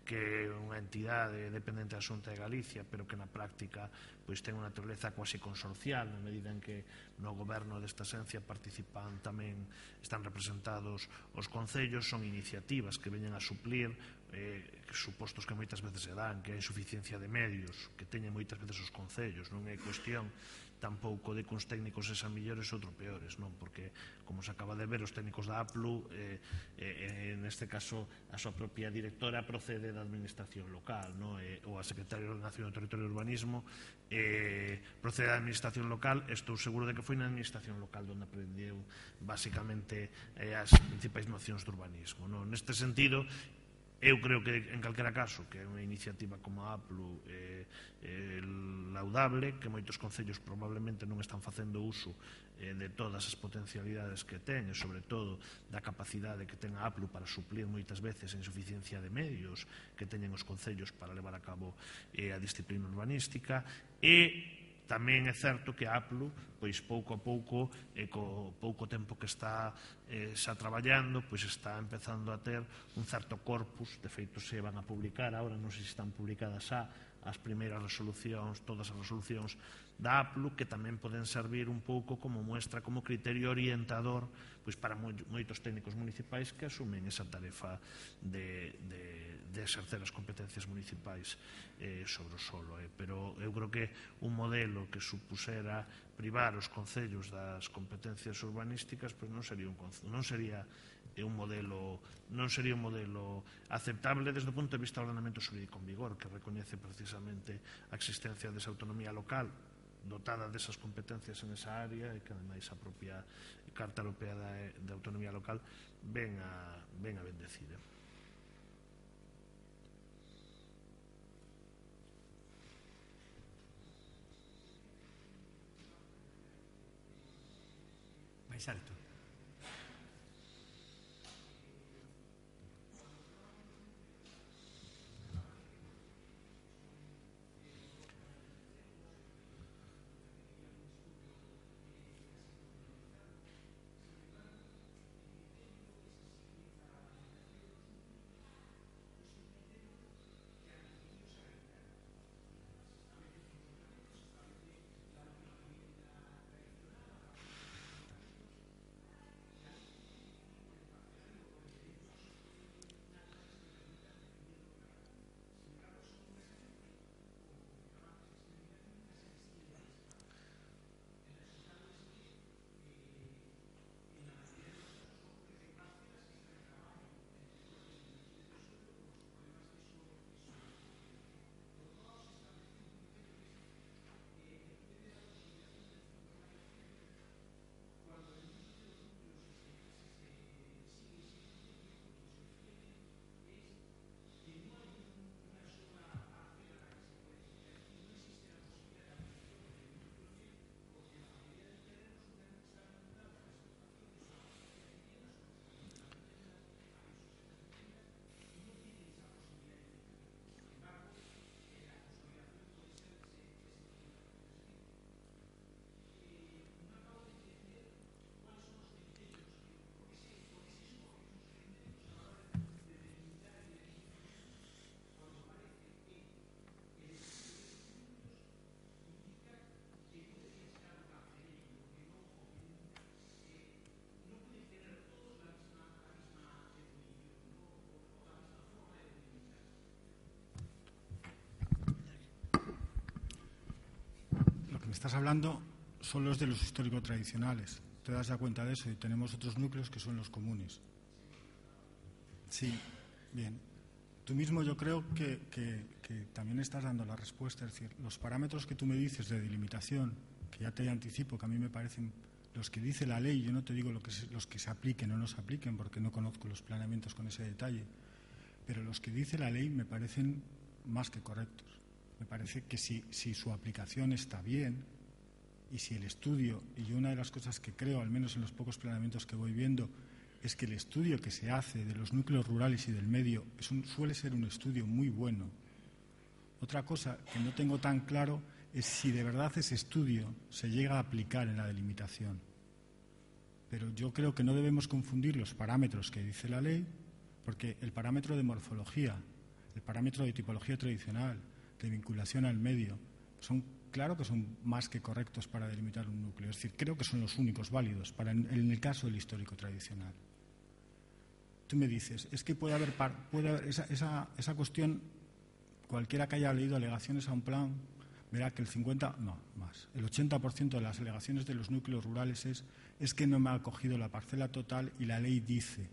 que é unha entidade dependente da Xunta de Galicia, pero que na práctica pois ten unha naturaleza quasi consorcial, na medida en que no goberno desta axencia participan tamén, están representados os concellos, son iniciativas que veñen a suplir eh, supostos que moitas veces se dan, que é a insuficiencia de medios que teñen moitas veces os concellos. Non é cuestión tampouco de que uns técnicos sexan millores ou outros peores, non? Porque, como se acaba de ver, os técnicos da A P L U, eh, eh, neste caso, a súa propia directora procede da administración local, non? Eh, ou a secretaria de Ordenación do Territorio e Urbanismo eh, procede da administración local. Estou seguro de que foi na administración local onde aprendeu, basicamente, eh, as principais nocións do urbanismo, non? Neste sentido, eu creo que, en calquera caso, que é unha iniciativa como a A P L U eh, eh, laudable, que moitos concellos probablemente non están facendo uso eh, de todas as potencialidades que ten e, sobre todo, da capacidade que ten a A P L U para suplir moitas veces a insuficiencia de medios que teñen os concellos para levar a cabo eh, a disciplina urbanística. E tamén é certo que a A P L U, pois pouco a pouco, e co pouco tempo que está eh, xa traballando, pois está empezando a ter un certo corpus. De feito, se van a publicar agora, non sei se están publicadas xa as primeiras resolucións, todas as resolucións da A P L U, que tamén poden servir un pouco como muestra, como criterio orientador, pois para moitos técnicos municipais que asumen esa tarefa de, de, de exercer as competencias municipais eh, sobre o solo. Eh. Pero eu creo que un modelo que supusera privar os concellos das competencias urbanísticas, pois non sería un, non sería un modelo non sería un modelo aceptable desde o punto de vista do ordenamento xurídico en vigor, que recoñece precisamente a existencia desa autonomía local dotada desas competencias en esa área, e que ademais a propia Carta Europea de Autonomía Local ven a, ven a bendecir. Mais alto. Estás hablando son los de los histórico-tradicionales. Te das ya cuenta de eso, y tenemos otros núcleos que son los comunes. Sí, bien. tú mismo yo creo que, que, que también estás dando la respuesta. Es decir, los parámetros que tú me dices de delimitación, que ya te anticipo que a mí me parecen los que dice la ley, yo no te digo lo que se, los que se apliquen o no se apliquen, porque no conozco los planeamientos con ese detalle, pero los que dice la ley me parecen más que correctos. Me parece que si, si su aplicación está bien y si el estudio, y yo una de las cosas que creo, al menos en los pocos planeamientos que voy viendo, es que el estudio que se hace de los núcleos rurales y del medio es un, suele ser un estudio muy bueno. Otra cosa que no tengo tan claro es si de verdad ese estudio se llega a aplicar en la delimitación. Pero yo creo que no debemos confundir los parámetros que dice la ley, porque el parámetro de morfología, el parámetro de tipología tradicional, de vinculación al medio, son, claro que son más que correctos para delimitar un núcleo. Es decir, creo que son los únicos válidos para en, en el caso del histórico tradicional. Tú me dices, es que puede haber, puede haber esa, esa, esa cuestión, cualquiera que haya leído alegaciones a un plan, verá que el cincuenta, no, más, el ochenta por ciento de las alegaciones de los núcleos rurales es, es que no me ha cogido la parcela total y la ley dice.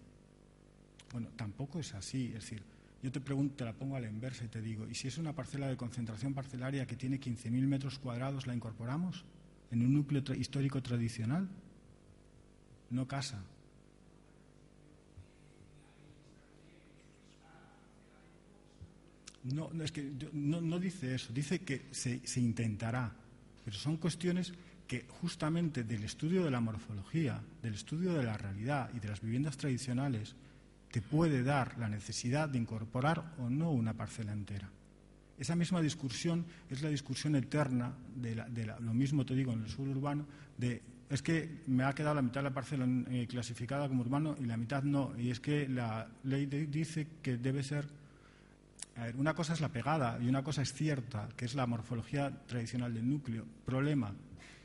Bueno, tampoco es así, es decir, yo te pregunto, te la pongo a la inversa y te digo, ¿y si es una parcela de concentración parcelaria que tiene quince mil metros cuadrados, la incorporamos en un núcleo tra- histórico tradicional? No casa. No, no, es que no, no dice eso, dice que se, se intentará, pero son cuestiones que justamente del estudio de la morfología, del estudio de la realidad y de las viviendas tradicionales te puede dar la necesidad de incorporar o no una parcela entera. Esa misma discusión es la discusión eterna, de, la, de la, lo mismo te digo en el suburbano, de es que me ha quedado la mitad de la parcela eh, clasificada como urbano y la mitad no, y es que la ley de, dice que debe ser... A ver, una cosa es la pegada y una cosa es cierta, que es la morfología tradicional del núcleo. Problema,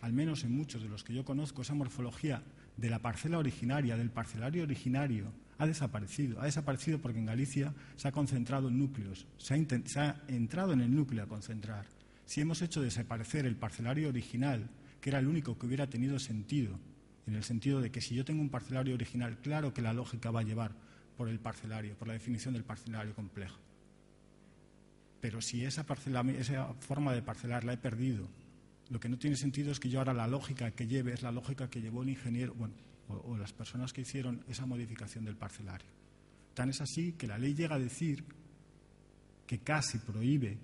al menos en muchos de los que yo conozco, esa morfología de la parcela originaria, del parcelario originario, ha desaparecido. Ha desaparecido porque en Galicia se ha concentrado en núcleos, se ha, intent- se ha entrado en el núcleo a concentrar. Si hemos hecho desaparecer el parcelario original, que era el único que hubiera tenido sentido, en el sentido de que si yo tengo un parcelario original, claro que la lógica va a llevar por el parcelario, por la definición del parcelario complejo. Pero si esa, parcela, esa forma de parcelar la he perdido, lo que no tiene sentido es que yo ahora la lógica que lleve es la lógica que llevó el ingeniero, bueno, o, o las personas que hicieron esa modificación del parcelario. Tan es así que la ley llega a decir que casi prohíbe,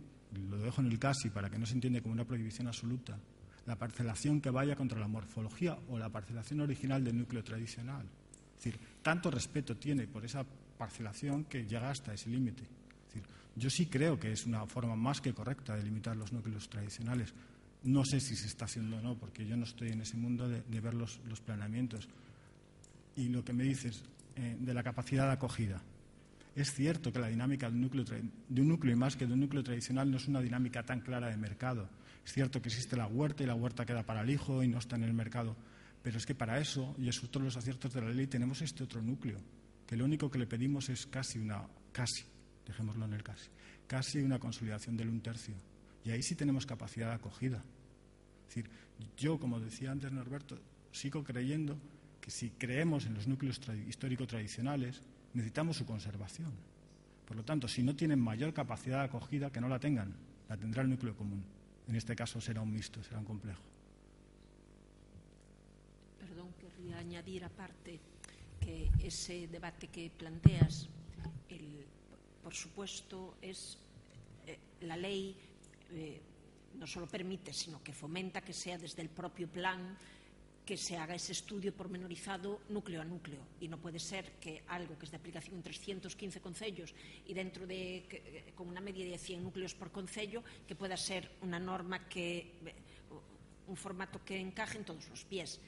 lo dejo en el casi para que no se entienda como una prohibición absoluta, la parcelación que vaya contra la morfología o la parcelación original del núcleo tradicional. Es decir, tanto respeto tiene por esa parcelación que llega hasta ese límite. Es decir, yo sí creo que es una forma más que correcta de limitar los núcleos tradicionales. No sé si se está haciendo o no, porque yo no estoy en ese mundo de, de ver los, los planeamientos. Y lo que me dices eh, de la capacidad de acogida. Es cierto que la dinámica de un, núcleo, de un núcleo y más que de un núcleo tradicional no es una dinámica tan clara de mercado. Es cierto que existe la huerta y la huerta queda para el hijo y no está en el mercado. Pero es que para eso, y es otro de los aciertos de la ley, tenemos este otro núcleo, que lo único que le pedimos es casi una, casi, dejémoslo en el casi, casi una consolidación del un tercio. Y ahí sí tenemos capacidad de acogida. Es decir, yo, como decía antes Norberto, sigo creyendo que si creemos en los núcleos tra- histórico-tradicionales, necesitamos su conservación. Por lo tanto, si no tienen mayor capacidad de acogida, que no la tengan, la tendrá el núcleo común. En este caso será un mixto, será un complejo. Perdón, querría añadir aparte que ese debate que planteas, el, por supuesto, es eh, la ley eh, no solo permite, sino que fomenta que sea desde el propio plan que se haga ese estudio pormenorizado núcleo a núcleo, y no puede ser que algo que es de aplicación en trescientos quince concellos y dentro de que, con una media de cien núcleos por concello, que pueda ser una norma que un formato que encaje en todos los pies.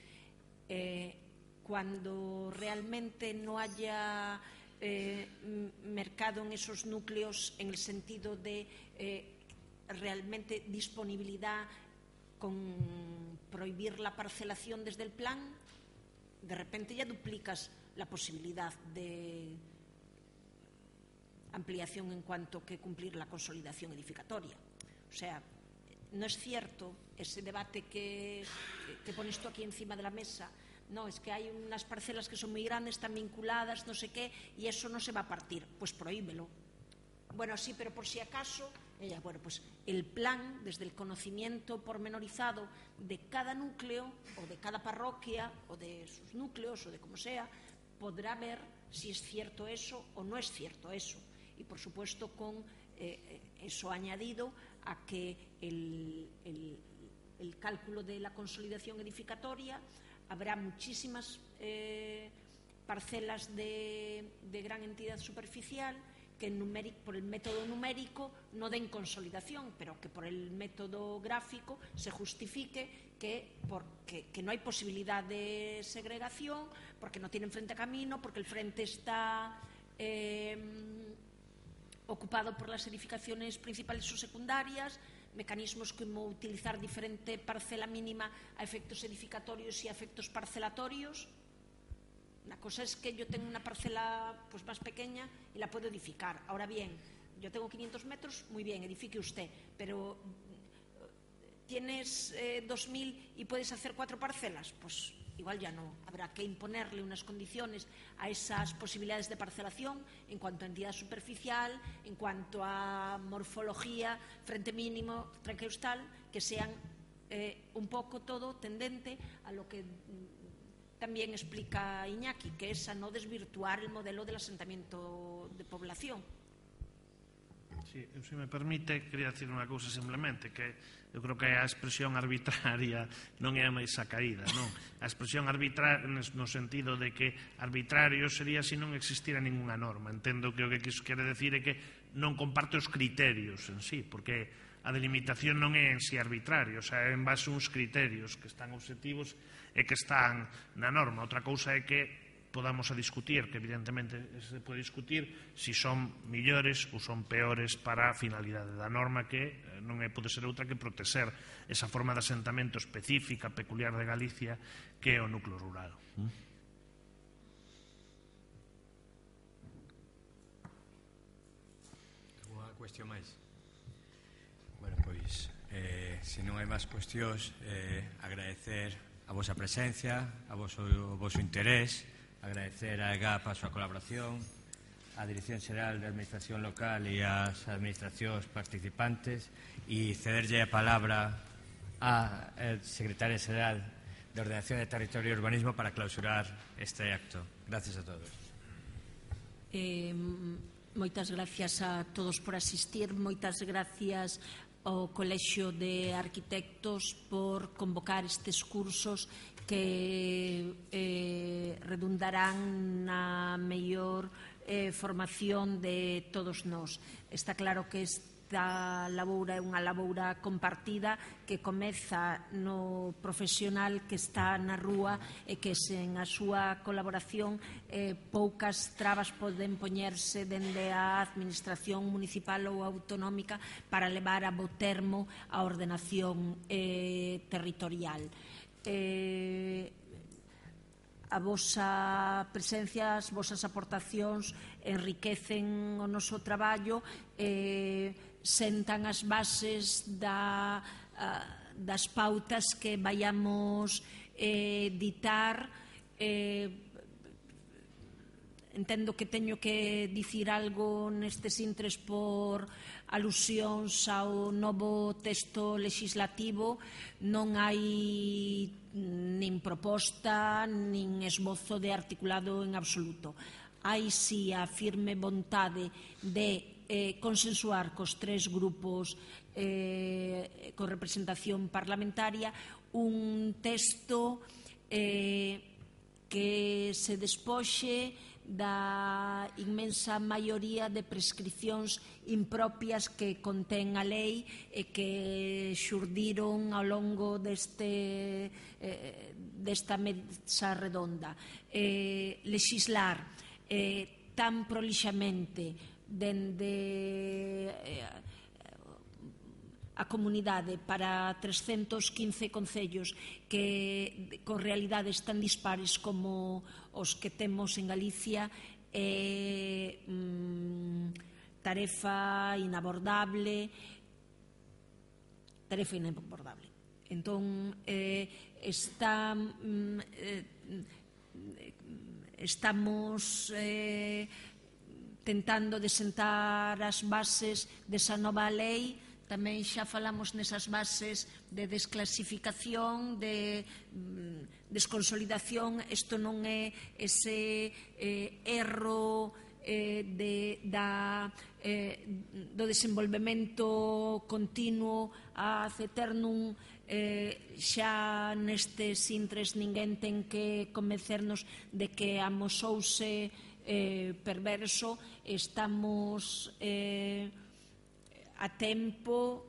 Eh, cuando realmente no haya eh, mercado en esos núcleos en el sentido de eh, realmente disponibilidad con prohibir la parcelación desde el plan, de repente ya duplicas la posibilidad de ampliación en cuanto que cumplir la consolidación edificatoria. O sea, no es cierto ese debate que, que pones tú aquí encima de la mesa. No, es que hay unas parcelas que son muy grandes, están vinculadas, no sé qué, y eso no se va a partir. Pues prohíbelo. Bueno, sí, pero por si acaso, ella, bueno, pues el plan, desde el conocimiento pormenorizado de cada núcleo o de cada parroquia o de sus núcleos o de como sea, podrá ver si es cierto eso o no es cierto eso. Y por supuesto con eh, eso añadido a que el, el, el cálculo de la consolidación edificatoria, habrá muchísimas eh, parcelas de, de gran entidad superficial que numérico, por el método numérico no den consolidación, pero que por el método gráfico se justifique que, porque, que no hay posibilidad de segregación, porque no tienen frente a camino, porque el frente está eh, ocupado por las edificaciones principales o secundarias, mecanismos como utilizar diferente parcela mínima a efectos edificatorios y a efectos parcelatorios. La cosa es que yo tengo una parcela pues, más pequeña y la puedo edificar. Ahora bien, yo tengo quinientos metros, muy bien, edifique usted, pero ¿tienes eh, dos mil y puedes hacer cuatro parcelas? Pues igual ya no. Habrá que imponerle unas condiciones a esas posibilidades de parcelación en cuanto a entidad superficial, en cuanto a morfología, frente mínimo, traqueustal, que sean eh, un poco todo tendente a lo que también explica Iñaki, que es a no desvirtuar el modelo del asentamiento de población. Sí, se me permite, quería decir unha cousa simplemente, que eu creo que a expresión arbitraria non é a máis acaída, non? A expresión arbitraria no sentido de que arbitrario sería se non existira ninguna norma. Entendo que o que quere decir é que non comparte os criterios en sí, porque a delimitación non é en sí arbitrario, o sea, é en base a uns criterios que están objetivos e que están na norma. Outra cousa é que podamos a discutir, que evidentemente se pode discutir si son millores ou son peores para a finalidade da norma, que non é, pode ser outra que protexer esa forma de asentamento específica, peculiar de Galicia, que é o núcleo rural. Alguna cuestión máis? Bueno, pois, eh, se non hai máis cuestións, eh, agradecer a vosa presencia, a voso, o voso interés, agradecer a E G A P a súa colaboración, a Dirección Xeral de Administración Local e as administracións participantes, e cederlle a palabra á Secretaria Xeral de Ordenación de Territorio e Urbanismo para clausurar este acto. Gracias a todos. Eh, moitas gracias a todos por asistir, moitas gracias ao Colexio de Arquitectos por convocar estes cursos que eh, redundarán na mellor eh, formación de todos nós. Está claro que esta laboura é unha laboura compartida que comeza no profesional que está na rúa e que sen a súa colaboración eh, poucas trabas poden poñerse dende a administración municipal ou autonómica para levar a bo termo a ordenación eh, territorial. Eh, a vosa presencia, as vosas aportacións enriquecen o noso traballo, eh, sentan as bases da, das pautas que vayamos eh, ditar. Eh, entendo que teño que dicir algo nestes intres por alusións ao novo texto legislativo. Non hai nin proposta nin esbozo de articulado en absoluto. Hai si a firme vontade de eh, consensuar cos tres grupos eh, con representación parlamentaria un texto eh, que se despoxe da inmensa maioría de prescripcións impropias que contén a lei e que xurdiron ao longo deste, eh, desta mesa redonda. Eh, legislar eh, tan prolixamente dende eh, a comunidade para trescentos quince concellos que con realidades tan dispares como os que temos en Galicia é mm, tarefa inabordable tarefa inabordable entón eh, está mm, eh, estamos eh, tentando de sentar as bases desa nova lei. Tamén xa falamos nesas bases de desclasificación, de mm, desconsolidación. Isto non é ese eh, erro eh, de, da, eh, do desenvolvemento continuo a eternum. Eh, xa nestes intres ninguén ten que convencernos de que amosouse eh, perverso. Estamos eh, a tempo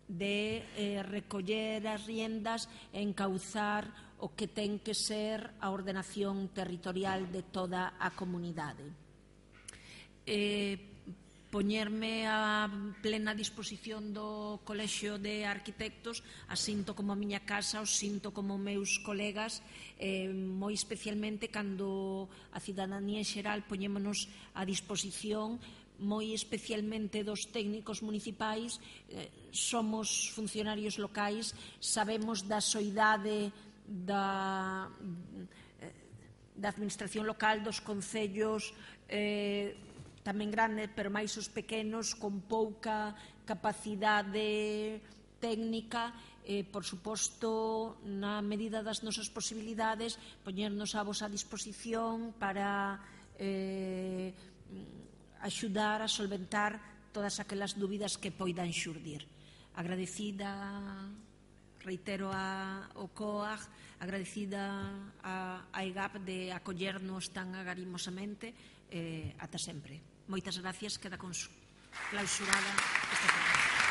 de eh, recoller as riendas e encauzar o que ten que ser a ordenación territorial de toda a comunidade. Eh, poñerme a plena disposición do Colexio de Arquitectos, a sinto como a miña casa, os sinto como meus colegas, eh, moi especialmente cando a cidadanía en xeral poñémonos a disposición, moi especialmente dos técnicos municipais. Eh, somos funcionarios locais, sabemos da soidade da, da administración local, dos concellos, eh, tamén grande, pero máis os pequenos, con pouca capacidade técnica. Eh, por suposto, na medida das nosas posibilidades, poñernos a vosa disposición para eh, axudar a solventar todas aquelas dúbidas que poidan xurdir. Agradecida, reitero, a, ao C O A G, agradecida a, a EGAP de acollernos tan agarimosamente. Eh, ata sempre. Moitas gracias, queda clausurada esta tarde.